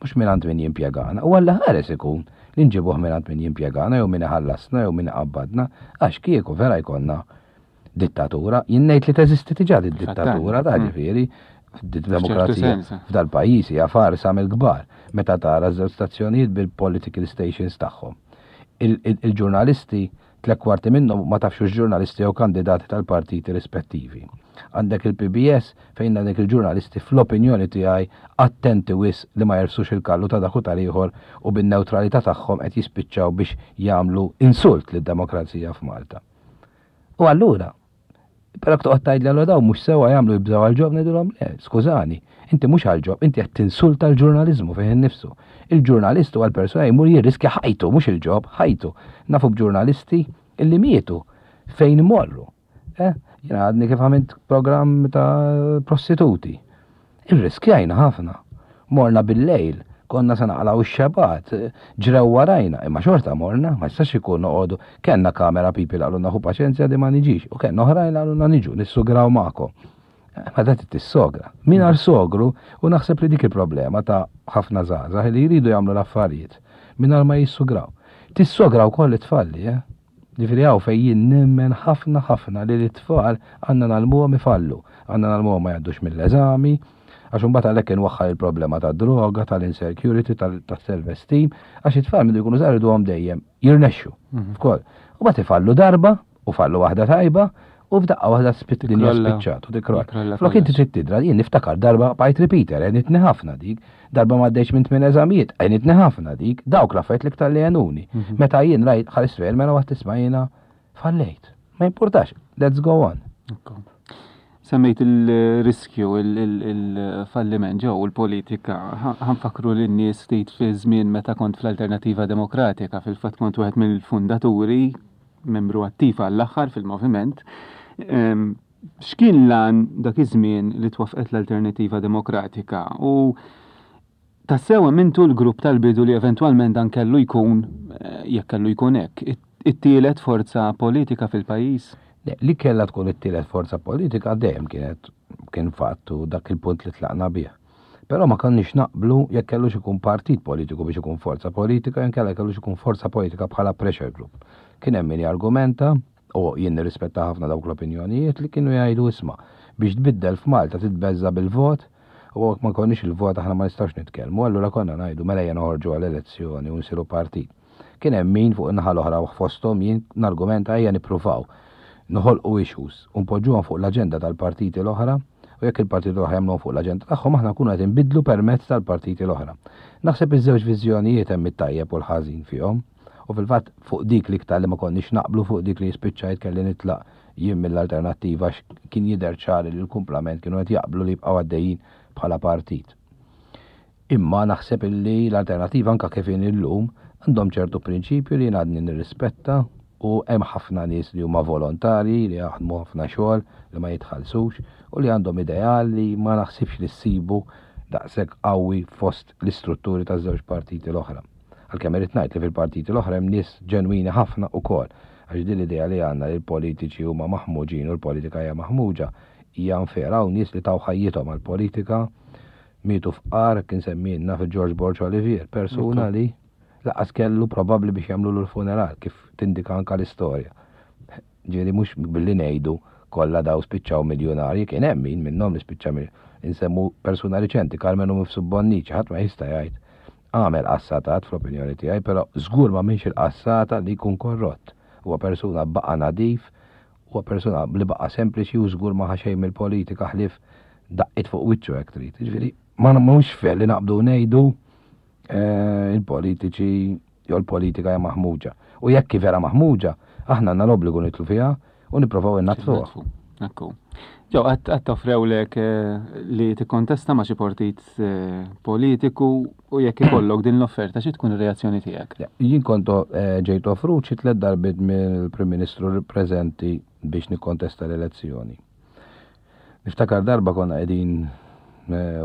Mhux mingħand min jimpjegana. U Alla ħares ikun li nġibuh mingħand min jimpjegana jew min iħallasna jew min iqabbadna għax kieku vera jkollna dittatura, jien ngħid li teżisti diġà di dittatura ta' mm. ġifieri demokrazija f'dal-pajjiż hija farsa mill-kbar meta tara żewġ stazzjonijiet bil-political stations tagħhom. Il-ġurnalisti tlek kwarti minnhom ma tafx ġurnalisti jew kandidati tal-partiti rispettivi. Għandek il-PBS fejn għandek il-ġurnalisti fl-opinjoni tiegħi attenti wis li ma jersux il-kallu ta' dak u tal-ieħor u bin-newtralità tagħhom qed jispiċċaw biex jagħmlu insult lid-demokrazija f'Malta. U allura, però toqgħod tgħidli allura dawn mhux sewwa jagħmlu jibżgħu għall-ġob ngħidilhom le, skużani, inti mhux għall-ġob, inti qed tinsulta l-ġurnaliżmu fih innifsu. Il-ġurnalist huwa l-persuna jmur jirriskja ħajtu, mhux il-ġob, ħajtu. Nafu b'ġurnalisti illi mietu fejn imorru. Eh, jiena għadni kif għamilt programm ta' prostituti. Irriskjajna ħafna. Morna bil-lejl. Konna se naqalgħu x-xebgħat, ġrew warajna, imma xorta morna, ma jistax ikun noqogħdu. Kellna camera people li qalulna ħu paċenzja di ma niġix, u kellna oħrajn li qalulna niġu, nissugraw magħkom. Ma da trid tissogra. Mingħajr sogru, u naħseb li dik il-problema ta' ħafna żgħażagħ li jridu jagħmlu l-affarijiet mingħajr ma jissugraw. Tissogra wkoll it-tfalli, eh? Ġifieri hawn fejn jien nemmen ħafna ħafna li lit-tfal għandna ngħallmuhom ifallu, għandna ngħallmuhom ma jgħaddux mill-eżami, għax imbagħad għalhekk inwaħħal il-problema tad-droga, tal-insecurity, tas-self-esteem, għax it-tfal mindu jkunu żgħar irriduhom dejjem jirnexxu f'koll. U mbagħad ifallu darba, u fallu waħda tajba, u f'daqqa waħda dinja spiċċat u tikrolla. Flok inti trid tidra, jien niftakar darba bqajt repeater, għenitni ħafna dik, darba ma għaddejtx minn tmien eżamijiet, għenitni ħafna dik, dawk l-affarijiet l-iktar li għenuni. Mhm. Meta jien rajt ħares fejn mela waqt tisma' jiena fallejt. Ma jimpurtax, let's go on. Semmejt il-riskju, il-falliment ġew il-politika. Ħanfakru lin-nies ftit fi żmien meta kont fl-Alternativa Demokratika, fil-fatt kont wieħed mill-fundaturi membru attiv għall-aħħar fil-moviment. X'kien l-għan dak iż-żmien li twaffqet l-Alternativa Demokratika u tassew emmintu l-grupp tal-bidu li eventwalment dan kellu jkun, eh, jekk kellu jkun hekk, it-tielet forza politika fil-pajjiż? Le, li kellha tkun it-tielet forza politika dejjem kienet kien fatt u dak il-punt li tlaqna bih. Però ma konniex naqblu jekk kellux ikun partit politiku biex ikun forza politika jew inkella kellux ikun forza politika bħala pressure group. Kien hemm min jargumenta, u jien nirrispetta ħafna dawk l-opinjonijiet, li kienu jgħidu isma' biex tbiddel f'Malta titbeżża' bil-vot u jekk ma jkollniex il-vot aħna ma nistgħux nitkellmu, allura konna ngħidu mela ejja noħorġu għal elezzjoni u nsiru partit. Kien hemm min fuq in-naħa l-oħra u fosthom jien nargumenta ejja nippruvaw noħolqu issues u npoġġuhom fuq l-aġenda tal-partiti l-oħra u jekk il-partiti l-oħra jagħmluhom fuq l-aġenda tagħhom aħna nkunu qed inbiddlu permezz tal-partiti l-oħra. Naħseb iż-żewġ viżjonijiet hemm it-tajjeb u l-ħażin fihom u fil-fatt fuq dik l-iktar li ma konniex naqblu fuq dik li spiċċajt kelli nitlaq jien mill-Alternattiva għax kien jidher ċar li l-kumplament kienu qed jaqblu li jibqgħu għaddejjin bħala partit. Imma naħseb illi l-Alternattiva anke kif inhi llum għandhom ċertu prinċipju li jien għadni nirrispetta u hemm ħafna nies li huma volontarji li jaħdmu ħafna xogħol li ma jitħallsux u li għandhom ideal li ma naħsibx li ssibu daqshekk qawwi fost l-istrutturi taż-żewġ partiti l-oħra. Għalkemm irrid ngħid li fil-partiti l-oħra hemm nies ġenwini ħafna ukoll għax din l-idea li għandna li l-politiċi huma maħmuġin u l-politika hija maħmuġa hija unfair. Hawn nies li taw ħajjithom għall-politika Mietu fqar, kien semmielna fi George Borg Olivier, persuna li laqas kellu probabbli biex jagħmlulu l-funeral, kif tindika anka l-istorja. Ġifieri mhux billi ngħidu kollha daw spiċċaw miljunarji, kien hemm min minnhom li spiċċa insemmu persuna riċenti, Karmenu Mifsud Bonnici, ħadd ma jista' jgħid għamel qassatat fl-opinjoni tiegħi, però żgur ma minx il-qassata li jkun korrott. Huwa persuna baqa' nadif, Huwa persuna li baqa' sempliċi u żgur ma ħa xejn mill-politika ħlief daqqiet fuq wiċċu hekk trid. Jiġifieri ma mhux fair li naqbdu ngħidu eh, il-politiċi jew l-politika hija maħmuġa. U jekk hi vera maħmuġa, aħna għandna l-obbligu nitlu fiha u nipprovaw innatfuha. Ekku. Ġew, qatt offrewlek eh, li tikkontesta ma' xi partit eh, politiku u jekk ikollok din l-offerta xi tkun ir-reazzjoni tiegħek? Jien kont eh, ġejt offrut xi tliet darbiet mill-Prim Ministru preżenti biex nikkontesta l-elezzjoni. Niftakar darba konna qegħdin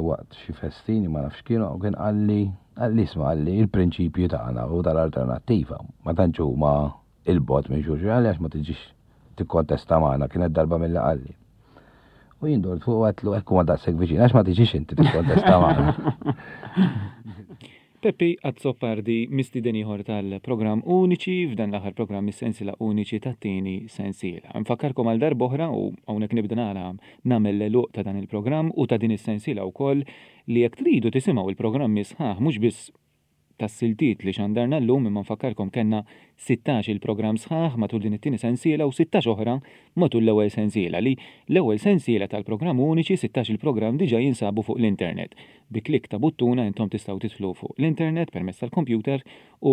waqt xi festini ma nafx kienu u kien qalli qalli isma' qalli il-prinċipji tagħna u tal-alternattiva ma tantx huma 'il bogħod minn xulxin qalli għax ma tiġix tikkontesta magħna kienet darba milli qalli. U jien dort fuq għatlu hekk huma daqshekk viċin għax ma tiġix inti tikkontesta magħna. Peppi Azzopardi, mistieden ieħor tal-programm Uniċi f'dan l-aħħar programm mis-sensiela Uniċi tat-tieni sensiela. Nfakkarkom għal darb'oħra u hawnhekk nibda nara nagħmel l-għeluq ta' dan il-programm u ta' din is-sensiela wkoll li jekk tridu tisimgħu il-programmi sħaħ mhux biss tas-siltiet li xandarna llum imma nfakkarkom kellna sittax-il programm sħaħ matul din it-tieni sensiela u sittax oħra matul l-ewwel sensiela li l-ewwel sensiela tal-programm uniċi sittax-il programm diġà jinsabu fuq l-internet. Bi klikk ta' buttuna intom tistgħu tidħlu fuq l-internet permezz tal-kompjuter u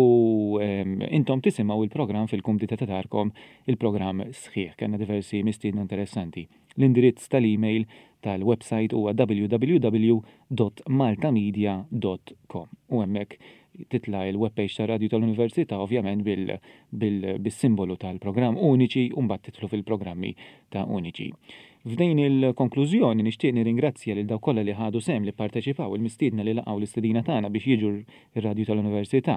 intom tisimgħu il-programm fil-kumdità ta' darkom il-programm sħiħ. Kellna diversi mistiedna interessanti. L-indirizz tal-email tal-websajt huwa www.maltamedia.com u hemmhekk titla' il-webpage tar-Radju tal-Università ovvjament bis-simbolu tal-programm Uniċi u mbagħad tidħlu fil-programmi ta' Uniċi. F'din il-konklużjoni nixtieq nirringrazzja lil dawk kollha li ħadu sehem, li pparteċipaw, il-mistiedna li laqgħu l-istedina tagħna biex jiġu r-radju tal-Università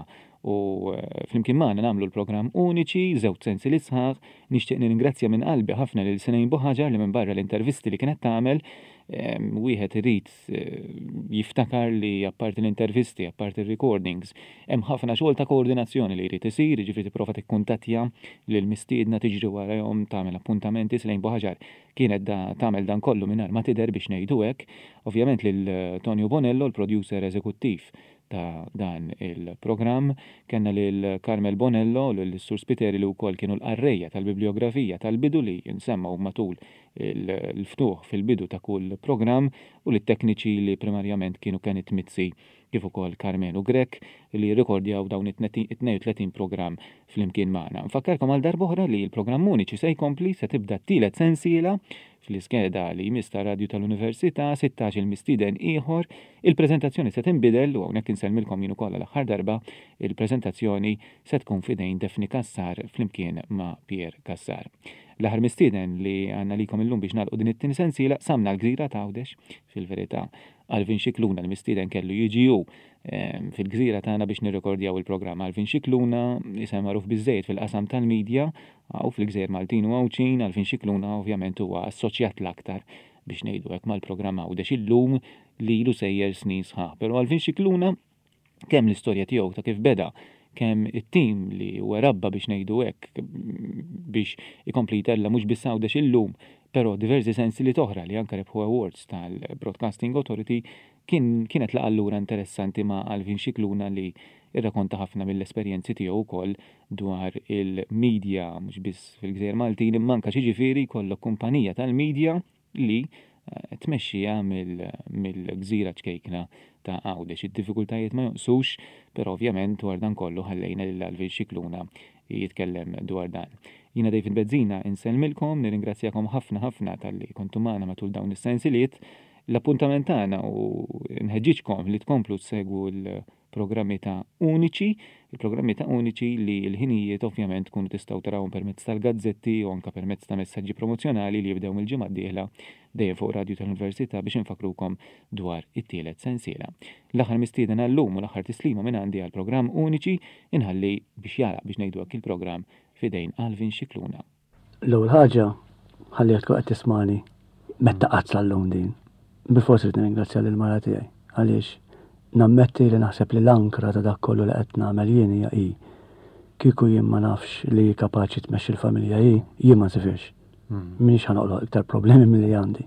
u flimkien magħna nagħmlu l-programm Uniċi, żewġ sensiliet sħaħ. Nixtieq nirringrazzja minn qalbi ħafna lil Sinejn Buħaġar li minbarra l-intervisti li kienet tagħmel, wieħed irid jiftakar li apparti l-intervisti, apparti r-recordings, hemm ħafna xogħol ta' koordinazzjoni li jrid isir, jiġifieri tipprova tikkuntattja lill-mistiedna, tiġri warajhom, tagħmel appuntamenti, Slane Buħaġar kienet da tagħmel dan kollu mingħajr ma tidher biex ngħidu hekk. Ovvjament lil Tonio Bonello, l-producer eżekuttiv ta' dan il-programm, kellna lil Carmel Bonello u lil Sur Spiteri li wkoll kienu l-qarrejja tal-bibliografija tal-bidu li nsemmgħu matul il-ftuħ fil-bidu ta' kull programm u lit-tekniċi li primarjament kienu Kenneth Mizzi kif ukoll Karmenu Grech li rrekordjaw dawn it-32 programm flimkien magħna. Nfakkarkom għal darb'oħra li l-programm Uniċi se jkompli, se tibda t-tielet sensiela fl-iskeda li jmiss tar-Radju tal-Università, 16-il mistieden ieħor. Il-preżentazzjoni se tinbidel u hawnhekk insellmilkom jien ukoll għal aħħar darba, il-preżentazzjoni se tkun f'idejn Daphne Cassar flimkien ma' Pierre Cassar. L-aħħar mistieden li għandna likom illum biex nagħlqu din it-tieni sensiela qsamna l-gżira t'Għawdex, fil-verità Alvin Scicluna l-mistieden kellu jiġi hu ehm, fil-gżira tagħna biex nirrekordjaw il-programm. Alvin Scicluna isem magħruf biżżejjed fil-qasam tal-medja u fil-gżejjer Maltin u Għawdxin, Alvin Scicluna ovvjament huwa assoċjat l-aktar biex ngħidu hekk mal-programm Għawdex illum li ilu sejjer snin sħaħ. Però Alvin Scicluna kemm l-istorja tiegħu ta' kif beda, kemm it-tim li huwa rabba biex ngħidu hekk biex ikompli jtella' mhux biss Għawdex illum, però diversi sensiliet oħra li anke rebħu awards tal-Broadcasting Authority, kien kienet laqgħa allura interessanti ma' Alvin Scicluna li rrakonta ħafna mill-esperjenzi tiegħu wkoll dwar il-media mhux biss fil-Gżejjer Maltin imma anke x'jiġifieri jkollok kumpanija tal-media li tmexxiha mill-gżira ċkejkna ta' Għawdex. Id-diffikultajiet ma jonqsux, però ovvjament dwar dan kollu ħallejna lil Alvin Scicluna jitkellem dwar dan. Jiena David Bezzina insellmilkom, nirringrazzjakom ħafna ħafna talli kontu magħna matul dawn is-sensiliet. L-appuntament tagħna u nħeġġiġkom li tkomplu tsegwu l programmi ta' Uniċi, il-programmi ta' Uniċi li l-ħinijiet ovvjament tkunu tistgħu tarawhom permezz tal-gazzetti u anke permezz ta' messaġġi promozzjonali li jibdew mill-ġimgħa d-dieħla dejjem fuq Radju tal-Università biex infakkrukom dwar it-tielet sensiela. L-aħħar mistieden għal-lum u l-aħħar tislima minn għandi għall-programm Uniċi inħalli biex jagħlaq biex ngħidu hekk il-programm f'idejn Alvin Scicluna. L-ewwel ħaġa, ħalli tkun qed tismani metta qatt sal-lum din. Bilfors irid nirringrazzja lil mara tiegħi għaliex nammetti li naħseb li l-ankra ta' dak kollu li qed nagħmel jien hija hi. Kieku jien ma nafx li hi kapaċi tmexxi l-familja hi, jien ma nsifirx. Hmm. Minix ħanoqloq iktar problemi milli għandi.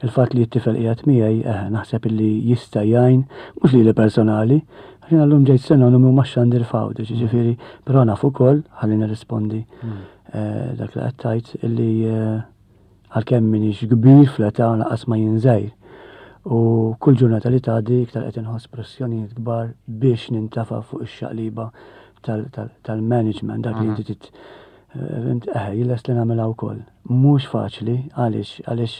Il-fatt li t-tifel qiegħed miegħi, eh, naħseb illi jista' jgħin, mhux lili personali, għax jiena llum ġejt sinonimu ma' xandir f'Għawdex, hmm. jiġifieri, però naf ukoll, ħalli nirrispondi hmm. eh, dak li qed tgħid illi eh, għalkemm minix kbir fl-età lanqas ma jien żgħir. U kull ġurnata li tgħaddi iktar qed inħoss pressjonijiet kbar biex nintafa' fuq ix-xaqliba tal-management dak li inti Fimt, eħe, jien lest li nagħmilha wkoll. Mhux faċli, għaliex? Għaliex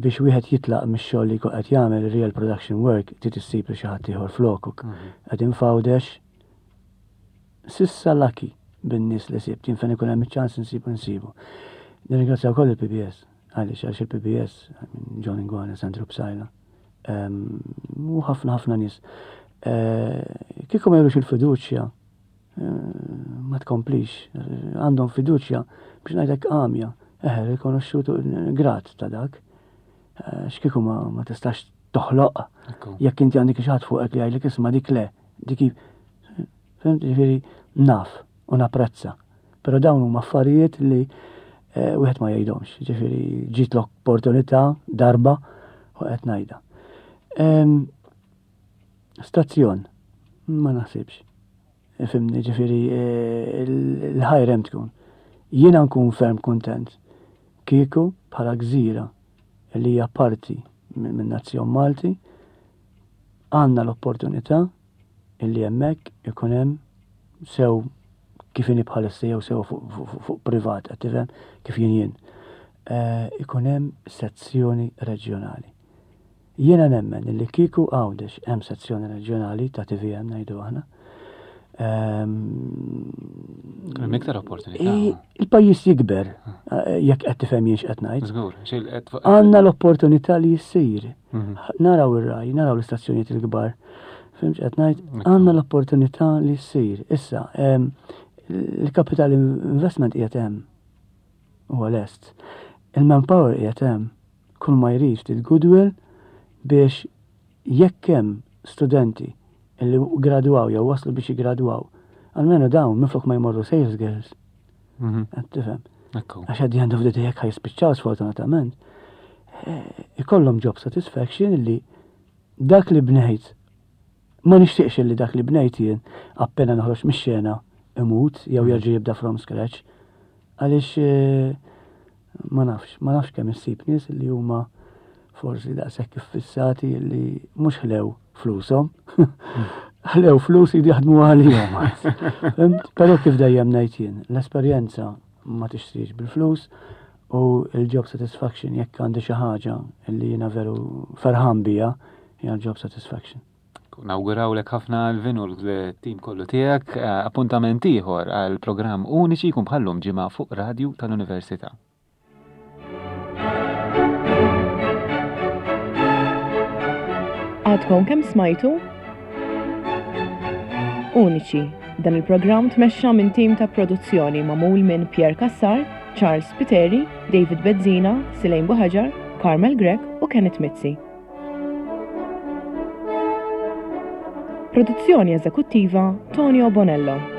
biex wieħed jitlaq mix-xogħol li jkun qed jagħmel real production work, trid issib li xi ħadd ieħor flokuk. Mhm. Qegħdin f'Għawdex sissa lucky bin-nies li sibt, jien fejn ikun hemm iċ-ċans insibu nsibu. Nirringrazzja wkoll il-PBS, għaliex għaliex il-PBS, John Ingwana, Sandro Psaila, u ħafna ħafna nies. Eh, kieku ma jurux il-fiduċja, ma tkomplix, għandhom fiduċja biex ngħidlek għamja, eħe, rikonoxxutu grat ta' dak. Eh, x'kieku ma, ma tistax toħloq jekk inti għandek xi ħadd fuqek li jgħidlek isma' dik le, dik Fimt, ġifieri naf u napprezza. Però dawn huma affarijiet li eh, wieħed ma jgħidhomx. Ġifieri ġiet l-opportunità darba u qed ngħidha. Stazzjon, ma naħsibx. Fimni, ġifiri, eh, l-ħajrem tkun. Jiena nkun ferm kontent kieku bħala gżira li hija parti minn nazzjon Malti għandna l-opportunità illi hemmhekk ikun hemm sew kif inhi bħalissa jew sew fuq privat qed tifhem kif jien jien. Eh, ikun hemm sezzjoni reġjonali. Jiena nemmen illi kieku Għawdex hemm sezzjoni reġjonali ta' tvm ngħidu aħna. Ehm, Hemm iktar opportunità. Il-pajjiż jikber eh, jekk qed tifhem jien x'qed ngħid. Żgur, Għandna l-opportunità li jsir. Mhm. Naraw ir-raj, naraw l-istazzjonijiet il-kbar. Fhimt x'qed ngħid? Għandna l-opportunità li ssir. Issa, ehm, il-capital investment qiegħed hemm. Huwa lest. Il-manpower qiegħed hemm. Kull ma jrid ftit goodwill biex jekk hemm studenti li gradwaw jew waslu biex jigradwaw, almenu dawn minflok ma jmorru sales girls. Mhm. Qed tifhem. Għax at the end of the day jekk ħajspiċċaw sfortunatament, eh, ikollhom job satisfaction li dak li bnejt ma nixtieqx li dak li bnejt jien appena noħroġ mix-xena imut jew mhm. jerġa' jibda from scratch. Għaliex eh, ma nafx, ma nafx kemm issib nies li huma forsi daqshekk iffissati li mhux ħlew flushom. Ħlew flus jridu jaħdmu għalihom. Però kif dejjem ngħid jien, l-esperjenza ma tixtrix bil-flus u l-job satisfaction jekk għandi xi ħaġa li jiena veru ferħan bija hija l-job satisfaction. Nawgurawlek ħafna Alvin u l-tim kollu tiegħek. Eh, appuntament ieħor għal programm uniċi jkun bħallum ġimgħa fuq Radju tal-Università. Għadkom kemm smajtu? Uniċi. Dan il-programm tmexxa minn tim ta' produzzjoni magħmul minn Pierre Cassar, Charles Spiteri, David Bezzina, Silejn Buħaġar, Carmel Grech u Kenneth Mizzi. Produzzjoni eżekuttiva Tonio Bonello.